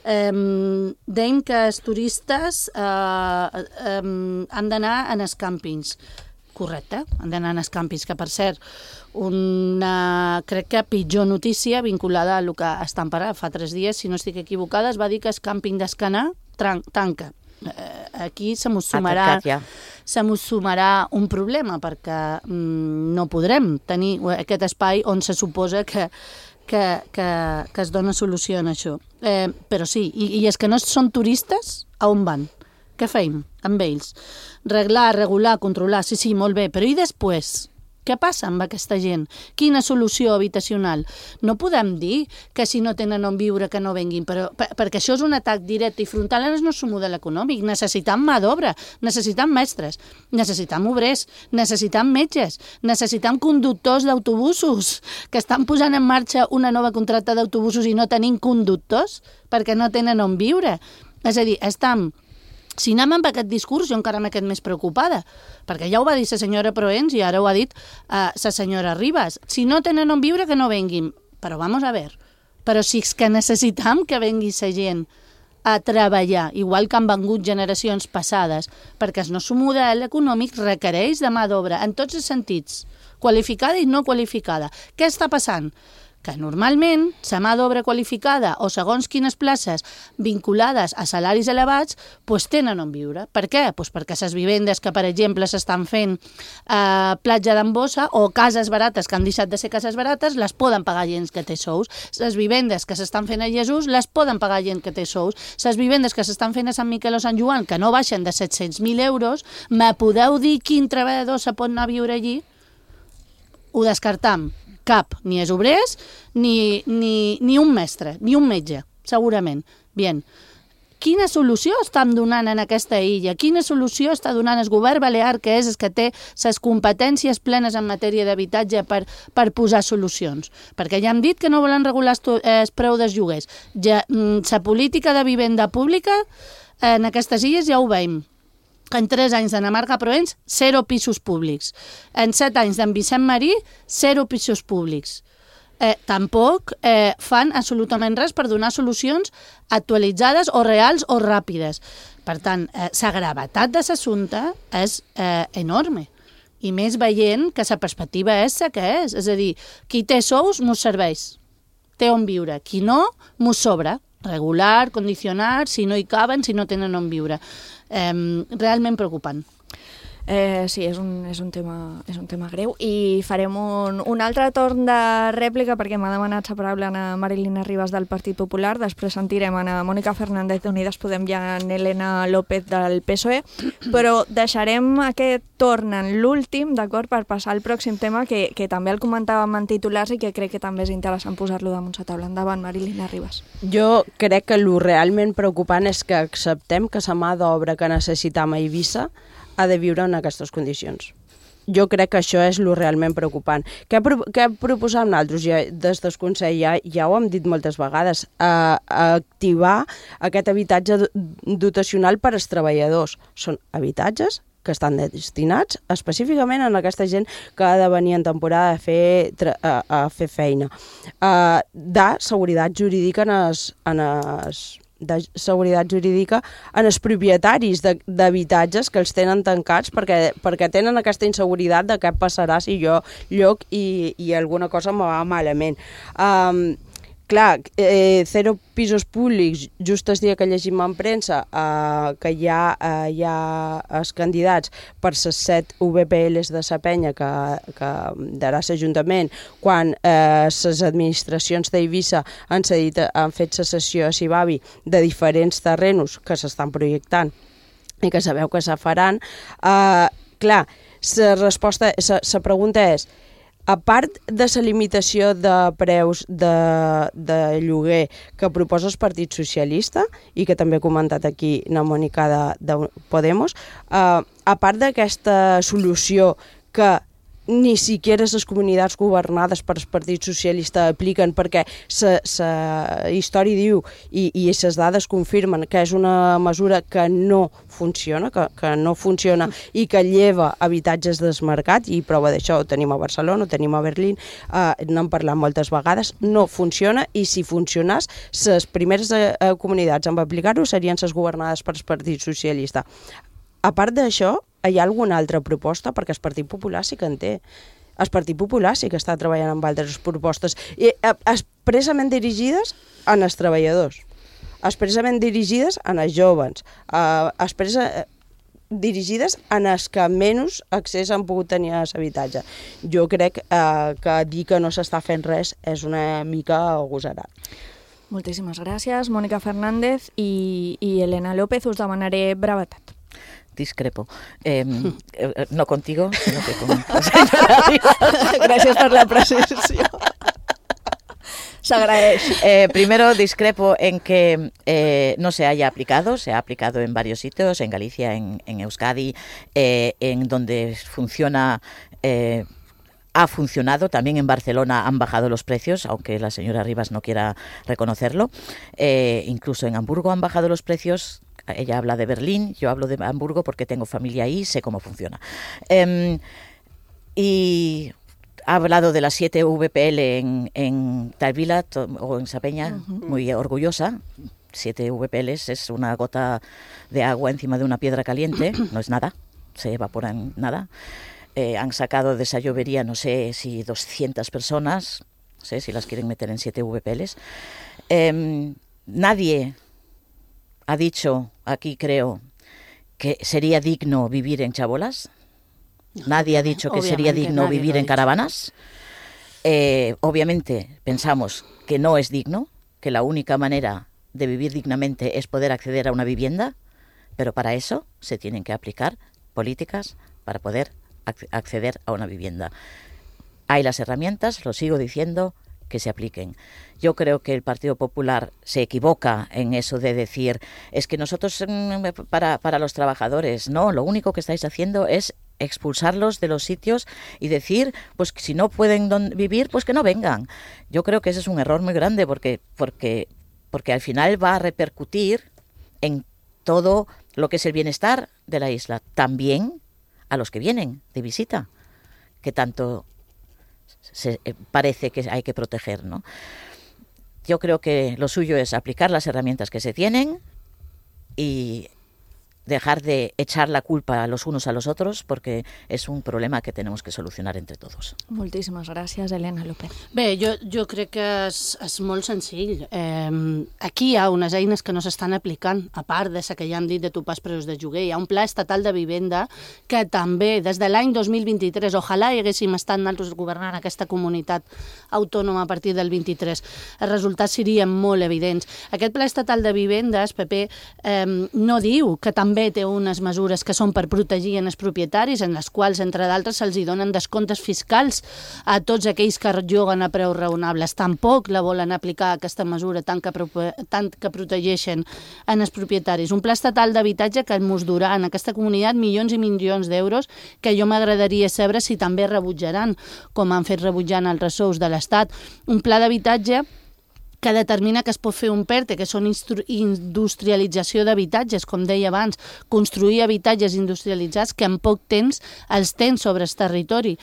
Eh, dèiem que els turistes eh, eh, han d'anar en els càmpings. Correcte, han d'anar en els càmpings, que per cert, una, crec que pitjor notícia vinculada a el que estan parant fa tres dies, si no estic equivocada, es va dir que el càmping d'Escanar tanca. Aquí se mos sumarà, se mos sumarà un problema, perquè mm, no podrem tenir aquest espai on se suposa que, que, que, que es dona solució a això. Eh, però sí, i, i els que no són turistes, a on van? Què feim amb ells? Reglar, regular, controlar, sí, sí, molt bé, però i després? Què passa amb aquesta gent? Quina solució habitacional? No podem dir que si no tenen on viure que no venguin, però, per, perquè això és un atac directe i frontal en el nostre model econòmic. Necessitam mà d'obra, necessitam mestres, necessitam obrers, necessitam metges, necessitam conductors d'autobusos, que estan posant en marxa una nova contracta d'autobusos i no tenim conductors perquè no tenen on viure. És a dir, estam... Si anem amb aquest discurs, jo encara m'he quedat més preocupada, perquè ja ho va dir la senyora Proens i ara ho ha dit la uh, senyora Ribas. Si no tenen on viure, que no venguin. Però vamos a ver, però si és que necessitam que vengui la gent a treballar, igual que han vengut generacions passades, perquè el nostre model econòmic requereix de mà d'obra en tots els sentits, qualificada i no qualificada. Què està passant? Que normalment la mà d'obra qualificada o segons quines places vinculades a salaris elevats pues tenen on viure. Per què? Pues perquè les vivendes que, per exemple, s'estan fent a eh, platja d'Ambossa o cases barates que han deixat de ser cases barates les poden pagar gent que té sous. Les vivendes que s'estan fent a Jesús les poden pagar gent que té sous. Les vivendes que s'estan fent a Sant Miquel o Sant Joan que no baixen de set-cents mil euros, me podeu dir quin treballador se pot anar a viure allí? Ho descartam. Cap, ni els obrers, ni, ni, ni un mestre, ni un metge, segurament. Bien. Quina solució estem donant en aquesta illa? Quina solució està donant el govern balear, que és el que té les competències plenes en matèria d'habitatge per, per posar solucions? Perquè ja hem dit que no volen regular el preu dels lloguers. Ja, la política de vivenda pública en aquestes illes ja ho veiem. En tres anys d'Anna Marga Proens, zero pisos públics. En set anys d'en Vicent Marí, zero pisos públics. Eh, tampoc eh, fan absolutament res per donar solucions actualitzades o reals o ràpides. Per tant, eh, la gravetat de l'assumpte és eh, enorme. I més veient que la perspectiva és la que és. És a dir, qui té sous mos serveix, té on viure. Qui no, mos sobra. Regular, condicionar, si no hi caben, si no tenen on viure. Eh, realment preocupant. Eh, sí, és un, és, un tema, és un tema greu i farem un, un altre torn de rèplica perquè m'ha demanat la paraula a Marilina Ribas del Partit Popular, després sentirem a Mònica Fernández d'Unides Podem i a Elena López del P S O E, però deixarem aquest torn en l'últim, d'acord, per passar al pròxim tema que, que també el comentàvem en titulars i que crec que també és interessant posar-lo damunt la taula. Endavant, Marilina Ribas. Jo crec que el realment preocupant és que acceptem que la mà d'obra que necessitam a Eivissa ha de viure en aquestes condicions. Jo crec que això és el realment preocupant. Què, pro què proposam nosaltres? Ja, des del Consell ja, ja ho hem dit moltes vegades, a, a activar aquest habitatge dotacional per als treballadors. Són habitatges que estan destinats específicament a aquesta gent que ha de venir en temporada a fer, a, a fer feina. Uh, de seguretat jurídica en els... En els de seguretat jurídica en els propietaris d'habitatges que els tenen tancats perquè, perquè tenen aquesta inseguretat de què passarà si jo lloc i, i alguna cosa me va malament. Um, clar, eh, zero pisos públics, just el dia que llegim en premsa eh, que hi ha, eh, hi ha els candidats per les set U B P Ls de la penya que, que darà l'Ajuntament, quan les eh, administracions d'Eivissa han, cedit, han fet la cessió a Sibavi de diferents terrenos que s'estan projectant i que sabeu que se faran, eh, clar, la resposta, la pregunta és, a part de la limitació de preus de, de lloguer que proposa el Partit Socialista i que també ha comentat aquí la Mònica de, de Podemos, eh, a part d'aquesta solució que ni siquiera les comunitats governades per el Partit Socialista apliquen perquè la història diu i, i les dades confirmen que és una mesura que no funciona, que, que no funciona i que lleva habitatges desmarcats, i prova d'això ho tenim a Barcelona, ho tenim a Berlín, eh, n'hem parlat moltes vegades, no funciona, i si funcionés, les primeres eh, comunitats en aplicar-ho serien les governades per el Partit Socialista. A part d'això, hi ha alguna altra proposta? Perquè el Partit Popular sí que en té. El Partit Popular sí que està treballant amb altres propostes, i expressament dirigides als treballadors, expressament dirigides als joves, expressament dirigides als que menys accés han pogut tenir a l'habitatge. Jo crec eh, que dir que no s'està fent res és una mica agosarat. Moltíssimes gràcies, Mònica Fernández i, i Elena López. Us demanaré brevetat. Discrepo. Eh, no contigo, sino que con... Gracias por la precisión. Se agradece. Eh, primero, discrepo en que eh, no se haya aplicado. Se ha aplicado en varios sitios, en Galicia, en, en Euskadi, eh, en donde funciona... Eh, ha funcionado, también en Barcelona han bajado los precios, aunque la señora Rivas no quiera reconocerlo. Eh, incluso en Hamburgo han bajado los precios. Ella habla de Berlín, yo hablo de Hamburgo porque tengo familia ahí y sé cómo funciona. Eh, y ha hablado de las siete V P L en, en Talvila o en Sapeña, uh-huh. Muy orgullosa. Siete V P Ls es una gota de agua encima de una piedra caliente, no es nada, se evapora en nada. Eh, han sacado de esa llovería, no sé si doscientas personas, no sé si las quieren meter en siete V P Ls. Eh, nadie ha dicho aquí, creo, que sería digno vivir en chabolas. Nadie ha dicho que sería digno vivir en caravanas. Eh, obviamente pensamos que no es digno, que la única manera de vivir dignamente es poder acceder a una vivienda, pero para eso se tienen que aplicar políticas para poder acceder a una vivienda. Hay las herramientas, lo sigo diciendo, que se apliquen. Yo creo que el Partido Popular se equivoca en eso de decir, es que nosotros para, para los trabajadores, no, lo único que estáis haciendo es expulsarlos de los sitios y decir, pues si no pueden don- vivir, pues que no vengan. Yo creo que ese es un error muy grande porque, porque, porque al final va a repercutir en todo lo que es el bienestar de la isla, también a los que vienen de visita, que tanto se, eh, parece que hay que proteger, ¿no? Yo creo que lo suyo es aplicar las herramientas que se tienen y dejar de echar la culpa los unos a los otros, porque és un problema que tenemos que solucionar entre todos. Moltíssimes gràcies, Elena López. Bé, jo, jo crec que és, és molt senzill. Eh, aquí hi ha unes eines que no s'estan aplicant, a part de la que ja hem dit de topar els preus de lloguer. Hi ha un pla estatal de vivenda que també, des de l'any dos mil vint-i-tres, ojalà hi haguéssim estat nosaltres governant aquesta comunitat autònoma a partir del vint-i-tres, els resultats serien molt evidents. Aquest pla estatal de vivendes, P P, eh, no diu que també té unes mesures que són per protegir els propietaris, en les quals, entre d'altres, se'ls donen descomptes fiscals a tots aquells que lloguen a preus raonables. Tampoc la volen aplicar, aquesta mesura, tant que, tant que protegeixen en els propietaris. Un pla estatal d'habitatge que ens durà en aquesta comunitat milions i milions d'euros, que jo m'agradaria saber si també rebutjaran, com han fet rebutjant altres sous de l'Estat. Un pla d'habitatge que determina que es pot fer un PERTE, que són industrialització d'habitatges, com deia abans, construir habitatges industrialitzats que en poc temps els tens sobre el territori.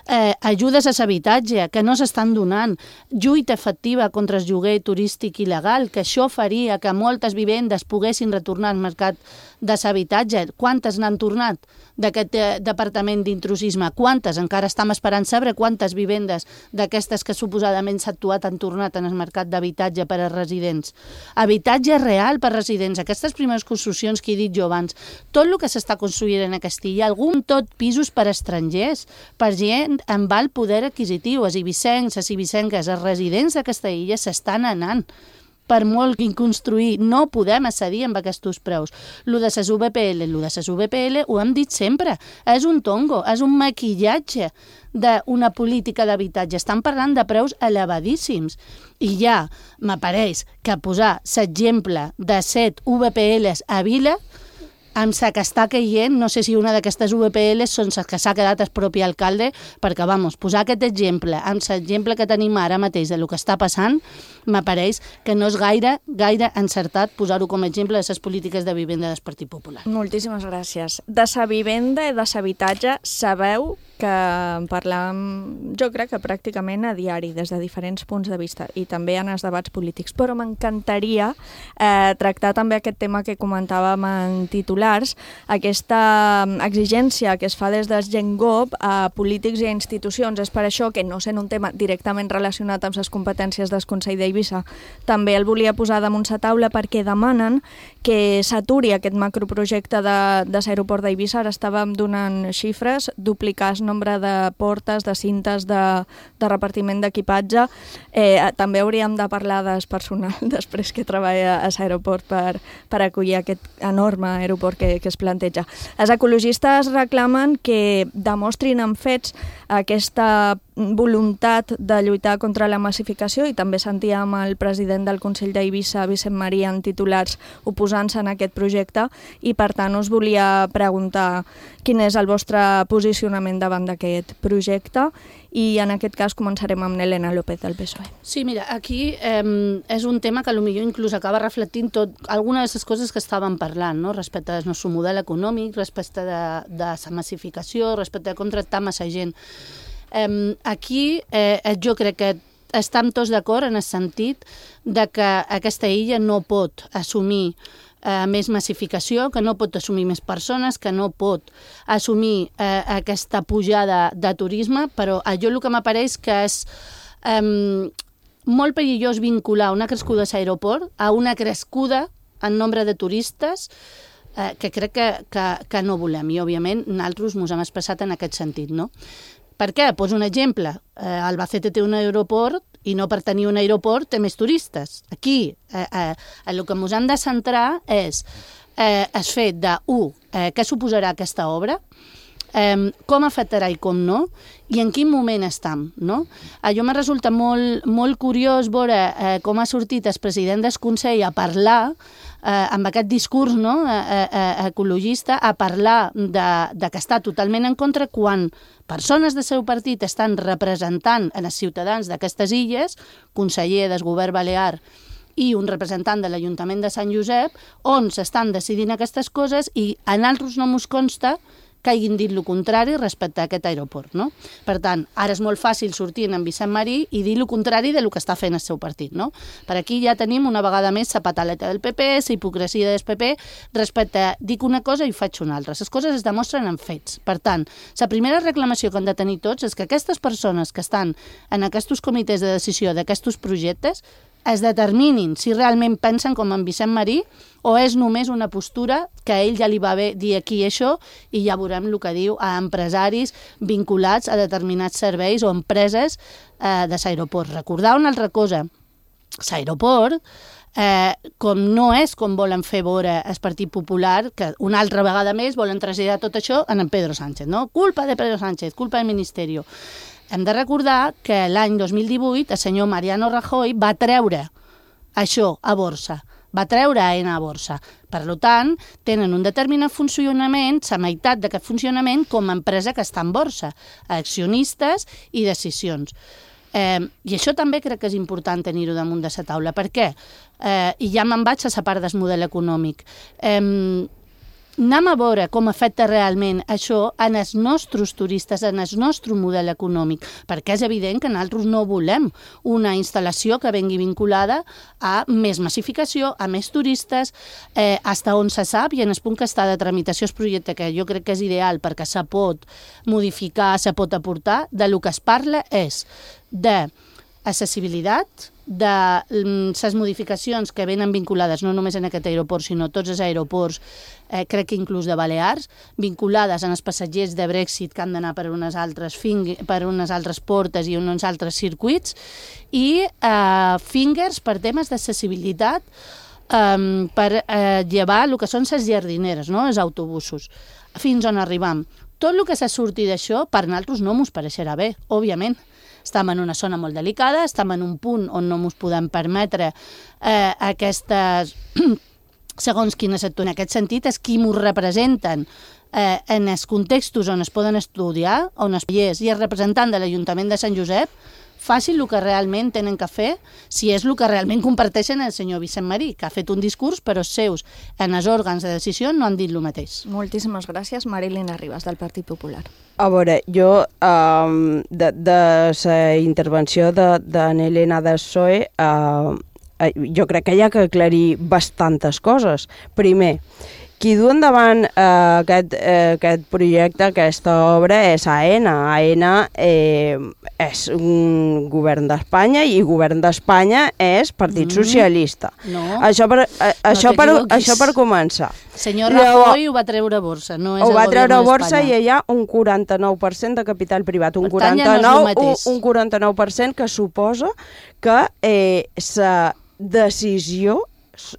Eh, ajudes a l'habitatge, que no s'estan donant. Lluita efectiva contra el lloguer turístic il·legal, que això faria que moltes vivendes poguessin retornar al mercat de s'habitatge. Quantes n'han tornat d'aquest eh, departament d'intrusisme? Quantes? Encara estem esperant saber quantes vivendes d'aquestes que suposadament s'ha actuat han tornat en el mercat d'habitatge per a residents. Habitatge real per a residents. Aquestes primeres construccions que he dit jo abans, tot el que s'està construint en Castilla, algun tot pisos per a estrangers, per gent amb alt poder adquisitiu, els ibicencs, les ibicenques, els residents d'aquesta illa s'estan anant. Per molt que construir, no podem accedir amb aquests preus. Lo de les U B P L, lo de les U B P L, ho hem dit sempre, és un tongo, és un maquillatge d'una política d'habitatge. Estan parlant de preus elevadíssims. I ja m'apareix que posar l'exemple de set U B P Ls a Vila, amb la que està caient, no sé si una d'aquestes U B P Ls són les que s'ha quedat el propi alcalde, perquè, vamos, posar aquest exemple amb l'exemple que tenim ara mateix de lo que està passant, m'apareix que no és gaire, gaire encertat posar-ho com a exemple de les polítiques de vivenda del Partit Popular. Moltíssimes gràcies. De sa vivenda i de s'habitatge sabeu que en parlem, jo crec que pràcticament a diari, des de diferents punts de vista, i també en els debats polítics, però m'encantaria eh, tractar també aquest tema que comentàvem en titulars, aquesta exigència que es fa des del GenGov a polítics i a institucions. És per això que, no sent un tema directament relacionat amb les competències del Consell d'Eivissa, també el volia posar damunt la taula perquè demanen que s'aturi aquest macroprojecte de, de l'aeroport d'Eivissa. Ara estàvem donant xifres, duplicar el nombre de portes, de cintes, de, de repartiment d'equipatge. Eh, també hauríem de parlar del personal després que treballa a l'aeroport per, per acollir aquest enorme aeroport que, que es planteja. Els ecologistes reclamen que demostrin amb fets aquesta voluntat de lluitar contra la massificació, i també sentíem el president del Consell d'Eivissa, Vicent Marí, en titulars oposant-se en aquest projecte, i per tant us volia preguntar quin és el vostre posicionament davant d'aquest projecte, i en aquest cas començarem amb Elena López del P S O E. Sí, mira, aquí eh, és un tema que potser inclús acaba reflectint tot, algunes de les coses que estàvem parlant, no? Respecte al nostre model econòmic, respecte de, de la massificació, respecte de com tractar massa gent. Eh, aquí eh, jo crec que estem tots d'acord en el sentit de que aquesta illa no pot assumir eh, més massificació, que no pot assumir més persones, que no pot assumir eh, aquesta pujada de turisme, però a jo el que m'apareix que és eh, molt perillós vincular una crescuda a l'aeroport a una crescuda en nombre de turistes eh, que crec que, que, que no volem, i òbviament nosaltres ens hem expressat en aquest sentit, no? Per què? Poso un exemple. Eh, Albacete té un aeroport i no per tenir un aeroport té més turistes. Aquí eh, eh, el que ens hem de centrar és eh, el fet de, u, eh, què suposarà aquesta obra, eh, com afectarà i com no, i en quin moment estem, no? A jo me resulta molt, molt curiós veure eh, com ha sortit el president del Consell a parlar eh, amb aquest discurs, no, eh, eh, ecologista, a parlar de, de que està totalment en contra quan persones del seu partit estan representant en els ciutadans d'aquestes illes, conseller del govern balear i un representant de l'Ajuntament de Sant Josep, on s'estan decidint aquestes coses i a nosaltres no ens consta que hagin dit el contrari respecte a aquest aeroport, no? Per tant, ara és molt fàcil sortir en Vicent Marí i dir el contrari del que està fent el seu partit, no? Per aquí ja tenim una vegada més la pataleta del P P, la hipocresia del P P, respecte a dic una cosa i faig una altra. Les coses es demostren en fets. Per tant, la primera reclamació que han de tenir tots és que aquestes persones que estan en aquests comitès de decisió d'aquests projectes es determinin si realment pensen com en Vicent Marí o és només una postura que a ell ja li va bé dir aquí això i ja veurem el que diu a empresaris vinculats a determinats serveis o empreses eh, de l'aeroport. Recordar una altra cosa, l'aeroport, eh, com no és com volen fer veure el Partit Popular, que una altra vegada més volen traslladar tot això en Pedro Sánchez, no? Culpa de Pedro Sánchez, culpa del Ministeri. Hem de recordar que l'any dos mil divuit el senyor Mariano Rajoy va treure això a borsa, va treure A E N A a borsa. Per tant, tenen un determinat funcionament, la meitat d'aquest funcionament com a empresa que està en borsa, accionistes i decisions. Eh, I això també crec que és important tenir-ho damunt de la taula. Per què? Eh, I ja me'n vaig a la part del model econòmic. Eh, anem a veure com afecta realment això en els nostres turistes, en el nostre model econòmic, perquè és evident que nosaltres no volem una instal·lació que vengui vinculada a més massificació, a més turistes, eh, hasta on se sap, i en el punt que està de tramitació el projecte, que jo crec que és ideal perquè se pot modificar, se pot aportar, de lo que es parla és de accessibilitat, de les modificacions que venen vinculades no només en aquest aeroport, sinó tots els aeroports, eh, crec que inclús de Balears, vinculades en els passatgers de Brexit que han d'anar per unes altres, fing- per unes altres portes i uns altres circuits, i eh, fingers per temes d'accessibilitat, eh, per eh, llevar el que són les jardineres, no? Els autobusos, fins on arribam. Tot el que se surti d'això, per nosaltres no mos pareixerà bé, òbviament. Estem en una zona molt delicada, estem en un punt on no ens podem permetre eh, aquestes, segons quin sector. En aquest sentit, és qui ens representen eh, en els contextos on es poden estudiar, on es és, i el representant de l'Ajuntament de Sant Josep, facin el que realment tenen que fer, si és el que realment comparteixen el senyor Vicent Marí, que ha fet un discurs, però els seus en els òrgans de decisió no han dit el mateix. Moltíssimes gràcies, Marilena Ribas, del Partit Popular. A veure, jo, um, de, de la intervenció de, de Helena del P S O E, uh, jo crec que hi ha que aclarir bastantes coses. Primer, qui du endavant eh, aquest, eh, aquest projecte, aquesta obra, és AENA. AENA eh, és un govern d'Espanya i govern d'Espanya és Partit mm. Socialista. No, això per, eh, no això, per, això per començar. Senyor Rajoy ho va treure a borsa, no és ho el va treure a govern borsa d'Espanya. i hi ha un quaranta-nou per cent de capital privat, un Per tant, ja no és el quaranta-nou, mateix. un, un quaranta-nou per cent que suposa que eh, la decisió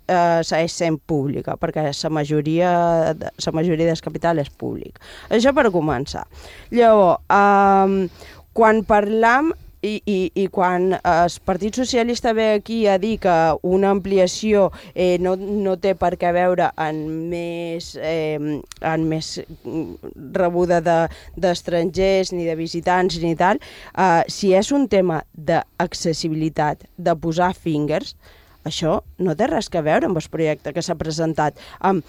eh, segueix sent pública, perquè la majoria, la majoria del capital és públic. Això per començar. Llavors, eh, quan parlam I, i, i quan el Partit Socialista ve aquí a dir que una ampliació eh, no, no té per què veure en més, eh, en més rebuda d'estrangers, de, ni de visitants, ni tal, eh, si és un tema d'accessibilitat, de posar fingers, això no té res a veure amb el projecte que s'ha presentat, amb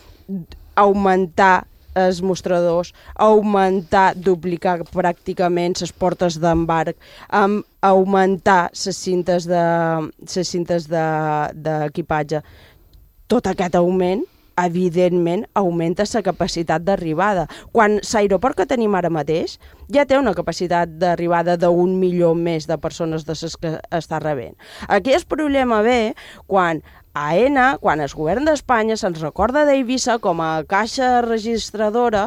augmentar els mostradors, augmentar, duplicar pràcticament les portes d'embarc, um, augmentar les cintes de, les cintes de, d'equipatge. Tot aquest augment, evidentment, augmenta la capacitat d'arribada. Quan l'aeroport que tenim ara mateix ja té una capacitat d'arribada d'un milió més de persones de les que està rebent. Aquí el problema ve quan AENA, quan el govern d'Espanya se'ns recorda d'Eivissa com a caixa registradora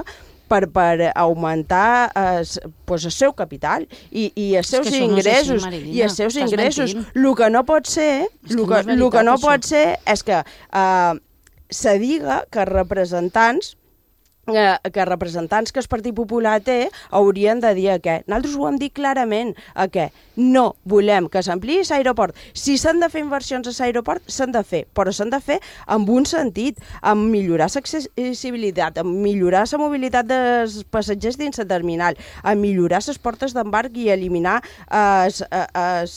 per, per augmentar es, pues, el seu capital i, i els seus ingressos. No així, i els seus ingressos. El que no pot ser, el que, que, no, que no pot ser és que eh, se diga que representants que representants que el Partit Popular té haurien de dir que nosaltres ho hem dit clarament, a que no volem que s'ampliï l'aeroport. Si s'han de fer inversions a l'aeroport, s'han de fer, però s'han de fer amb un sentit, amb millorar l'accessibilitat, amb millorar la mobilitat dels passatgers dins la terminal, amb millorar les portes d'embarc i eliminar els, els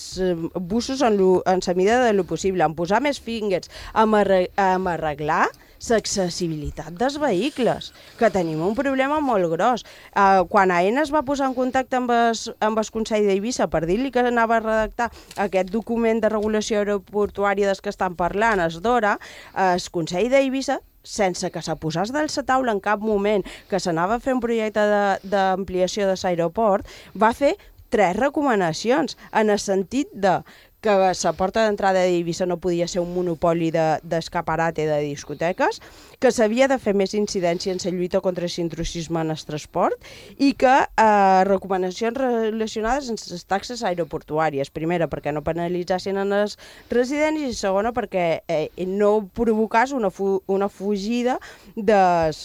busos en la mida de lo possible, amb posar més fingers, amb arreglar l'accessibilitat dels vehicles, que tenim un problema molt gros. Uh, quan AENA es va posar en contacte amb el, amb el Consell d'Eivissa per dir-li que anava a redactar aquest document de regulació aeroportuària dels que estan parlant, es d'hora, el Consell d'Eivissa, sense que se posés de la taula en cap moment que s'anava a fer un projecte d'ampliació de l'aeroport, va fer tres recomanacions en el sentit de que la porta d'entrada d'Eivissa no podia ser un monopoli d'escaparate de, de discoteques, que s'havia de fer més incidència en la lluita contra l'intrusisme en el transport i que eh, recomanacions relacionades amb les taxes aeroportuàries. Primera, perquè no penalitzassin en els residents i segona, perquè eh, no provocàs una, fu una fugida des...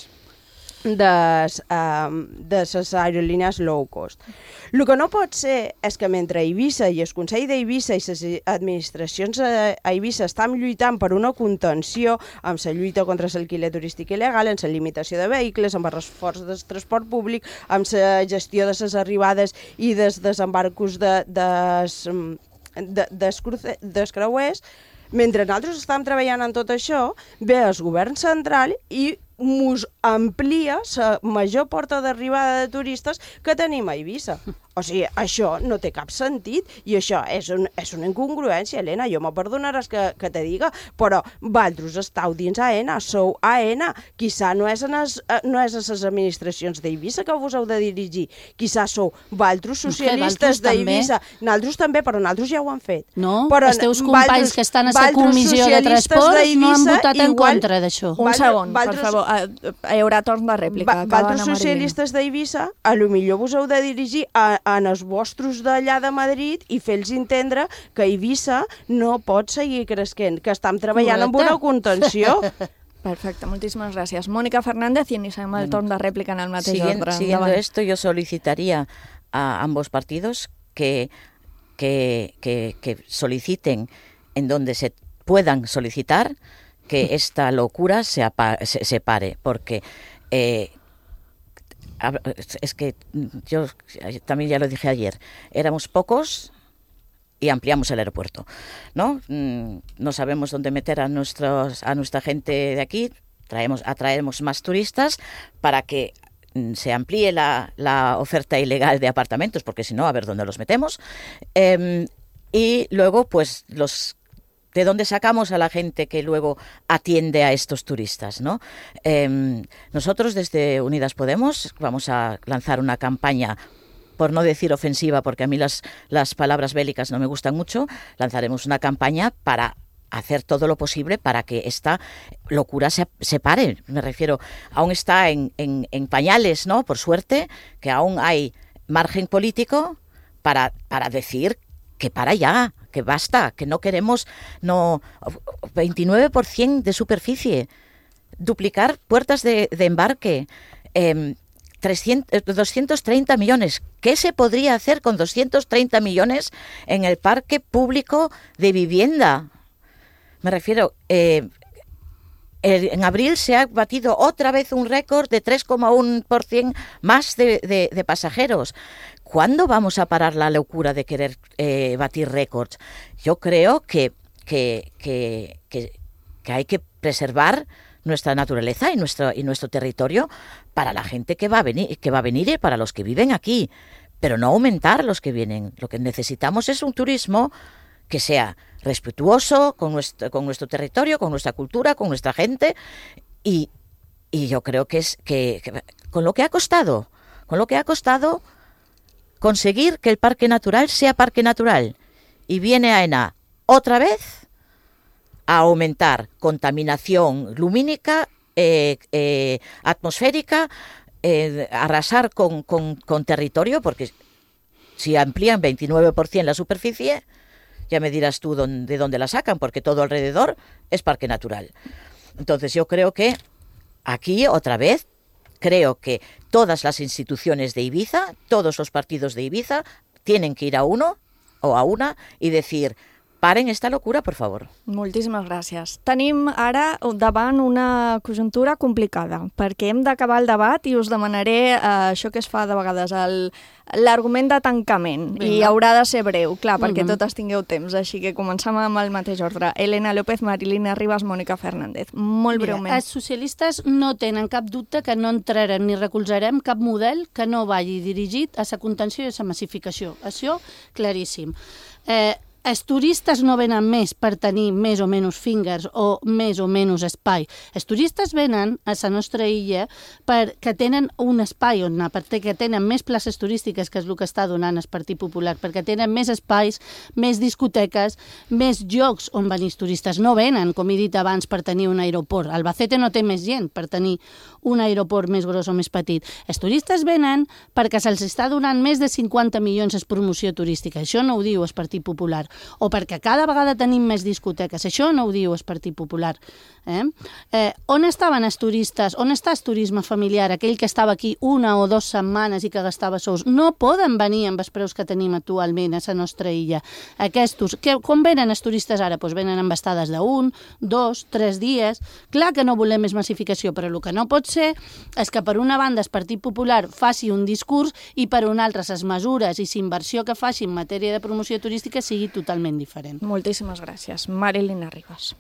de, um, de les aerolínies low cost. El que no pot ser és que mentre Eivissa i el Consell d'Eivissa i les administracions a Eivissa estan lluitant per una contenció amb la lluita contra l'alquiler turístic il·legal, amb la limitació de vehicles, amb el reforç del transport públic, amb la gestió de les arribades i dels desembarcos de, des, de, des, des creuers, mentre nosaltres estem treballant en tot això, ve el govern central i mos amplia la major porta d'arribada de turistes que tenim a Eivissa. O sigui, això no té cap sentit i això és, un, és una incongruència, Helena. Jo me perdonaràs que, que te diga, però vosaltres estàu dins A E N A, sou A E N A. Quizà no és, en es, no és a les administracions d'Eivissa que vos heu de dirigir. Quizà sou vosaltres socialistes d'Eivissa. Nosaltres també, però nosaltres ja ho han fet. No, però els teus companys que estan a la comissió de transport no han votat en contra d'això. Un segon, per favor. Hi haurà torn de rèplica. Vosaltres socialistes d'Eivissa, a lo millor vos heu de dirigir a en els vostres d'allà de Madrid i fer-los entendre que Eivissa no pot seguir cresquent, que estem treballant amb una contenció. Perfecte, moltíssimes gràcies. Mónica Fernández, i iniciem el torn de rèplica en el mateix Siguien, ordre. Siguiendo Davant. esto, yo solicitaría a ambos partidos que, que, que, que soliciten en donde se puedan solicitar que esta locura se, apa, se, se pare, porque... Eh, es que yo también ya lo dije ayer, éramos pocos y ampliamos el aeropuerto, ¿no? No sabemos dónde meter a nuestros a nuestra gente de aquí, traemos atraemos más turistas para que se amplíe la, la oferta ilegal de apartamentos, porque si no, a ver dónde los metemos. Eh, y luego, pues, los ¿de dónde sacamos a la gente que luego atiende a estos turistas, ¿no? Eh, nosotros desde Unidas Podemos vamos a lanzar una campaña, por no decir ofensiva, porque a mí las, las palabras bélicas no me gustan mucho, lanzaremos una campaña para hacer todo lo posible para que esta locura se, se pare. Me refiero, aún está en, en, en pañales, ¿no? Por suerte, que aún hay margen político para, para decir que para ya, que basta, que no queremos no veintinueve por ciento de superficie, duplicar puertas de, de embarque, eh, trescientos, doscientos treinta millones. ¿Qué se podría hacer con doscientos treinta millones en el parque público de vivienda? Me refiero, eh, en abril se ha batido otra vez un récord de tres coma uno por ciento más de, de, de pasajeros. ¿Cuándo vamos a parar la locura de querer eh, batir récords? Yo creo que, que, que, que, que hay que preservar nuestra naturaleza y nuestro, y nuestro territorio para la gente que va a venir, que va a venir y para los que viven aquí, pero no aumentar los que vienen. Lo que necesitamos es un turismo que sea respetuoso con nuestro, con nuestro territorio, con nuestra cultura, con nuestra gente, y, y yo creo que es que, que con lo que ha costado, con lo que ha costado conseguir que el parque natural sea parque natural, y viene A E N A otra vez a aumentar contaminación lumínica, eh, eh, atmosférica, eh, arrasar con, con, con territorio, porque si amplían veintinueve por ciento la superficie, ya me dirás tú dónde, de dónde la sacan, porque todo alrededor es parque natural. Entonces yo creo que aquí, otra vez, creo que todas las instituciones de Ibiza, todos los partidos de Ibiza, tienen que ir a uno o a una y decir: paren esta locura, por favor. Moltíssimes gràcies. Tenim ara davant una conjuntura complicada, perquè hem d'acabar el debat i us demanaré eh, això que es fa de vegades, l'argument de tancament. Vinga. I haurà de ser breu, clar, perquè uh-huh. totes tingueu temps, així que comencem amb el mateix ordre. Elena López, Marilina Ribas, Mónica Fernández. Molt Mira, breument. Els socialistes no tenen cap dubte que no entrarem ni recolzarem cap model que no vagi dirigit a la contenció i a la massificació. Això, claríssim. Eh, Els turistes no venen més per tenir més o menys fingers o més o menys espai. Els turistes venen a la nostra illa perquè tenen un espai on anar, perquè tenen més places turístiques, que és el que està donant el Partit Popular, perquè tenen més espais, més discoteques, més llocs on venir els turistes. No venen, com he dit abans, per tenir un aeroport. Albacete no té més gent per tenir un aeroport més gros o més petit. Els turistes venen perquè se'ls està donant més de cinquanta milions en promoció turística. Això no ho diu el Partit Popular. O perquè cada vegada tenim més discoteques. Això no ho diu el Partit Popular. Eh? Eh, on estaven els turistes? On està el turisme familiar? Aquell que estava aquí una o dues setmanes i que gastava sous. No poden venir amb els preus que tenim actualment a la nostra illa. Aquests, que, com venen els turistes ara? Pues venen amb estades d'un, dos, tres dies. Clar que no volem més massificació, però el que no pot ser és que per una banda el Partit Popular faci un discurs i per una altra les mesures i la inversió que faci en matèria de promoció turística sigui totalment diferent. Moltíssimes gràcies. Marilina Ribas.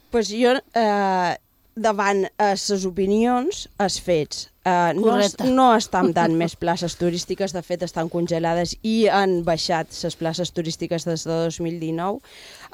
Pues jo, eh, davant les opinions, els fets. Uh, no, no estan dant més places turístiques, de fet estan congelades i han baixat les places turístiques des de dos mil dinou.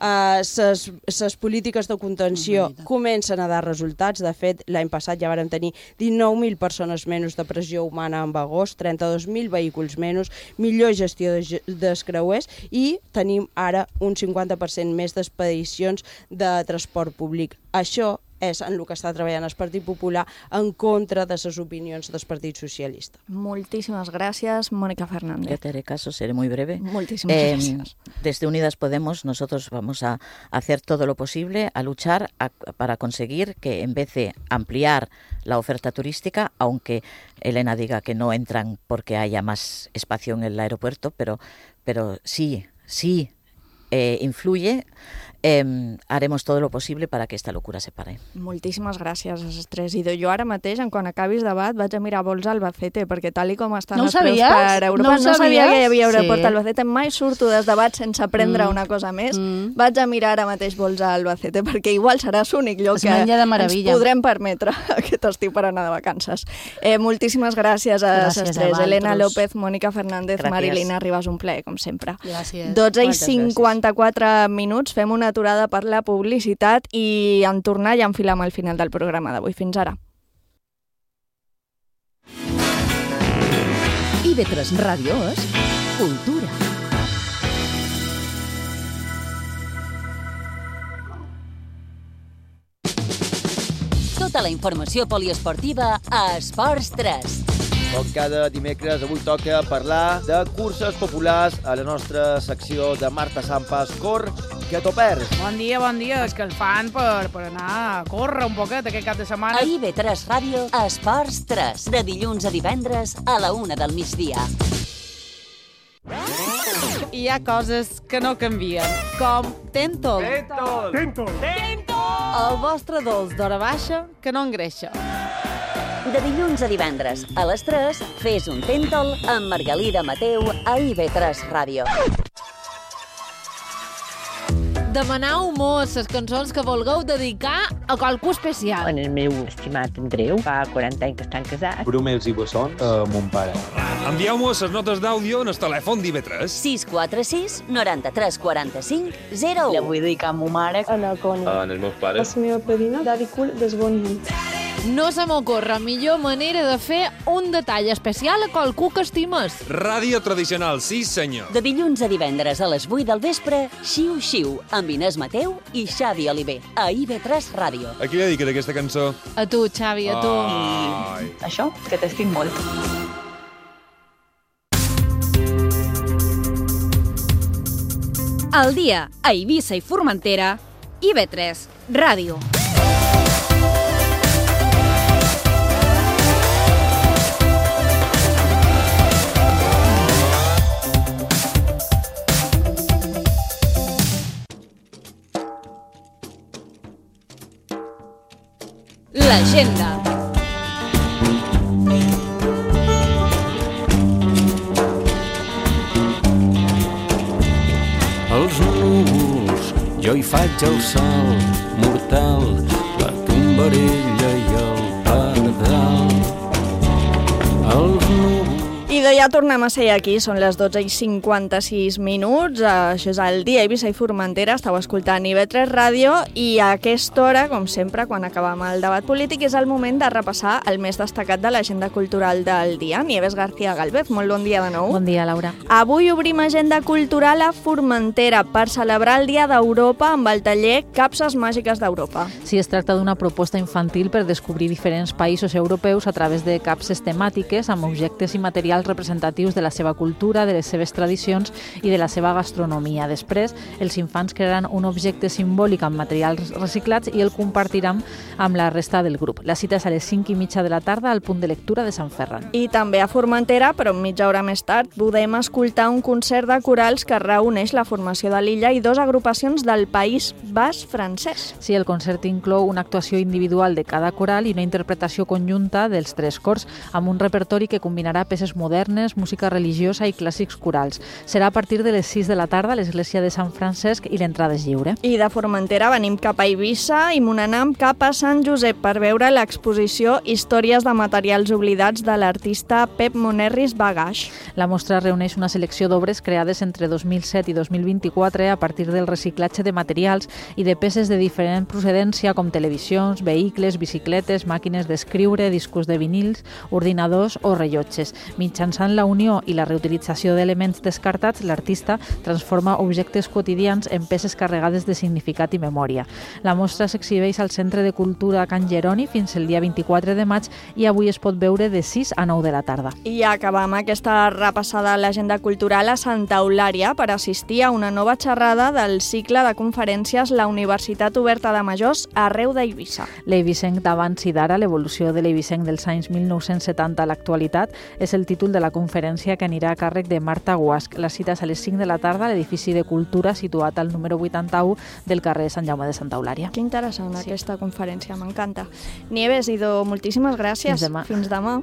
Les uh, polítiques de contenció comencen a dar resultats. De fet, l'any passat ja vàrem tenir dinou mil persones menys de pressió humana en agost, trenta-dos mil vehicles menys, millor gestió de, dels creuers i tenim ara un cinquanta per cent més d'expedicions de transport públic. Això és en el que està treballant el Partit Popular en contra de les opinions del Partit Socialista. Moltíssimas gracias, Mónica Fernández. Ya te haré caso, seré muy breve. Muchísimas eh, gracias. Desde Unidas Podemos nosotros vamos a hacer todo lo posible, a luchar a, para conseguir que en vez de ampliar la oferta turística, aunque Elena diga que no entran porque haya más espacio en el aeropuerto, pero, pero sí, sí eh, influye. Eh, haremos todo lo posible para que esta locura se pare. Moltíssimes gràcies a les tres. I jo ara mateix, en quan acabis debat, vaig a mirar vols a Albacete, perquè tal i com estan no els preus per Europa, no, no sabia que hi havia aeroport sí. a Albacete. Mai surto dels debats sense aprendre mm. una cosa més. Mm. Vaig a mirar ara mateix vols a Albacete, perquè igual serà l'únic lloc es que ens podrem permetre aquest estiu per anar de vacances. Eh, moltíssimes gràcies a les tres. Elena López, Mónica Fernández, gràcies. Marilina Ribas, un plaer, com sempre. Gràcies. dotze i cinquanta-quatre minuts, fem una aturada per la publicitat i en tornar ja enfilem al final del programa d'avui. Fins ara. I ve tres Ràdio és cultura. Tota la informació poliesportiva a Esports tres. Com cada dimecres, avui toca parlar de curses populars a la nostra secció de Marta Sampas, Cor, que t'ho perds. Bon dia, bon dia. És que el fan per, per anar a córrer un poquet aquest cap de setmana. A I ve tres Ràdio, Esports tres, de dilluns a divendres a la una del migdia. Hi ha coses que no canvien, com Tentol. Tentol! Tentol! Tentol! El vostre dolç d'hora baixa que no engreixa. De dilluns a divendres a les tres, fes un Tentol amb Margalida Mateu a I ve tres Ràdio. Demanau mos les cançons que vulgueu dedicar a qualcú especial. En el meu estimat Andreu, fa quaranta anys que estan casats. Brumels i bessons a mon pare. Envieu-mos les notes d'àudio en el telèfon d'I V tres. sis quatre sis, noranta-tres quaranta-cinc, zero u. La vull dedicar a ma mare. A la Cònia. En els meus pares. A la meva padrina, Daddy Cool d'Esbonyi. No se m'ocorre millor manera de fer un detall especial a qualcú que estimes. Ràdio tradicional, sí senyor. De dilluns a divendres a les vuit del vespre, Xiu Xiu, amb Inés Mateu i Xavi Oliver, a I ve tres Ràdio. A qui li dediques aquesta cançó? A tu, Xavi, a tu. Ai. I això, que t'estic molt. Al dia, a Eivissa i Formentera, I ve tres Ràdio. L'agenda. Els núvols, jo hi faig el salt mortal, la tombarella i el pardal. Els núvols... I de ja tornem a ser aquí, són les dotze i cinquanta-sis minuts, això és el dia Eivissa i Formentera, estàu escoltant I ve tres Ràdio i a aquesta hora, com sempre, quan acabem el debat polític, és el moment de repassar el més destacat de l'agenda cultural del dia. Nieves García Galvez, molt bon dia de nou. Bon dia, Laura. Avui obrim agenda cultural a Formentera per celebrar el Dia d'Europa amb el taller Capses Màgiques d'Europa. Sí, es tracta d'una proposta infantil per descobrir diferents països europeus a través de capses temàtiques amb objectes i materials representatius de la seva cultura, de les seves tradicions i de la seva gastronomia. Després, els infants crearan un objecte simbòlic amb materials reciclats i el compartiran amb la resta del grup. La cita és a les cinc i mitja de la tarda al punt de lectura de Sant Ferran. I també a Formentera, però mitja hora més tard, podem escoltar un concert de corals que reuneix la formació de l'illa i dues agrupacions del País Basc francès. Sí, el concert inclou una actuació individual de cada coral i una interpretació conjunta dels tres cors, amb un repertori que combinarà peces modernes modernes, música religiosa i clàssics corals. Serà a partir de les sis de la tarda a l'església de Sant Francesc i l'entrada és lliure. I de Formentera venim cap a Eivissa i Monanam cap a Sant Josep per veure l'exposició Històries de materials oblidats de l'artista Pep Monerris Bagaix. La mostra reuneix una selecció d'obres creades entre dos mil set i dos mil vint-i-quatre a partir del reciclatge de materials i de peces de diferent procedència com televisions, vehicles, bicicletes, màquines d'escriure, discos de vinils, ordinadors o rellotges. Mitjançant la unió i la reutilització d'elements descartats, l'artista transforma objectes quotidians en peces carregades de significat i memòria. La mostra s'exhibeix al Centre de Cultura Can Jeroni fins el dia vint-i-quatre de maig i avui es pot veure de sis a nou de la tarda. I acabam aquesta repassada a l'agenda cultural a Santa Eulària per assistir a una nova xerrada del cicle de conferències La Universitat Oberta de Majors arreu d'Eivissa. L'Eivissenc d'abans i d'ara, l'evolució de l'Eivissenc dels anys mil nou-cents setanta a l'actualitat, és el títol de la conferència que anirà a càrrec de Marta Guasch. La cita és a les cinc de la tarda a l'edifici de Cultura situat al número vuitanta-u del carrer Sant Jaume de Santa Eulària. Que interessant sí. Aquesta conferència, m'encanta. Nieves, Ido, moltíssimes gràcies. Fins demà. Fins demà.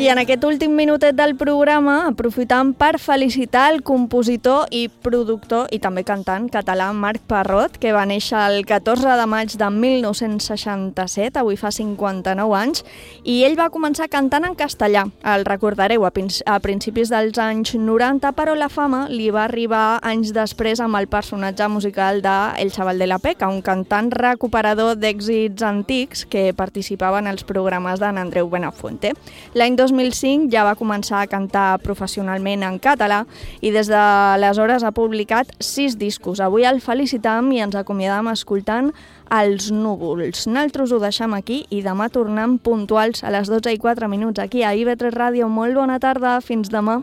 I en aquest últim minutet del programa aprofitam per felicitar el compositor i productor i també cantant català Marc Parrot, que va néixer el catorze de maig de mil nou-cents seixanta-set, avui fa cinquanta-nou anys, i ell va començar cantant en castellà. El recordareu a, a principis dels anys noranta, però la fama li va arribar anys després amb el personatge musical de El Chaval de la Peca, un cantant recuperador d'èxits antics que participava en els programes d'en Andreu Benafuente. L'any dos mil cinc ja va començar a cantar professionalment en català i des d'aleshores ha publicat sis discos. Avui el felicitam i ens acomiadam escoltant Els núvols. Nosaltres ho deixem aquí i demà tornem puntuals a les dotze i quatre minuts aquí a I V tres Ràdio. Molt bona tarda, fins demà.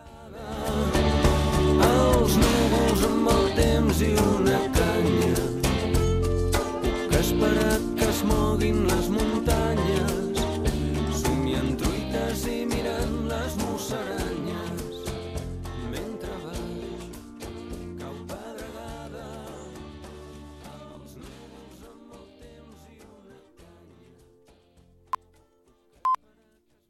Els núvols amb el temps i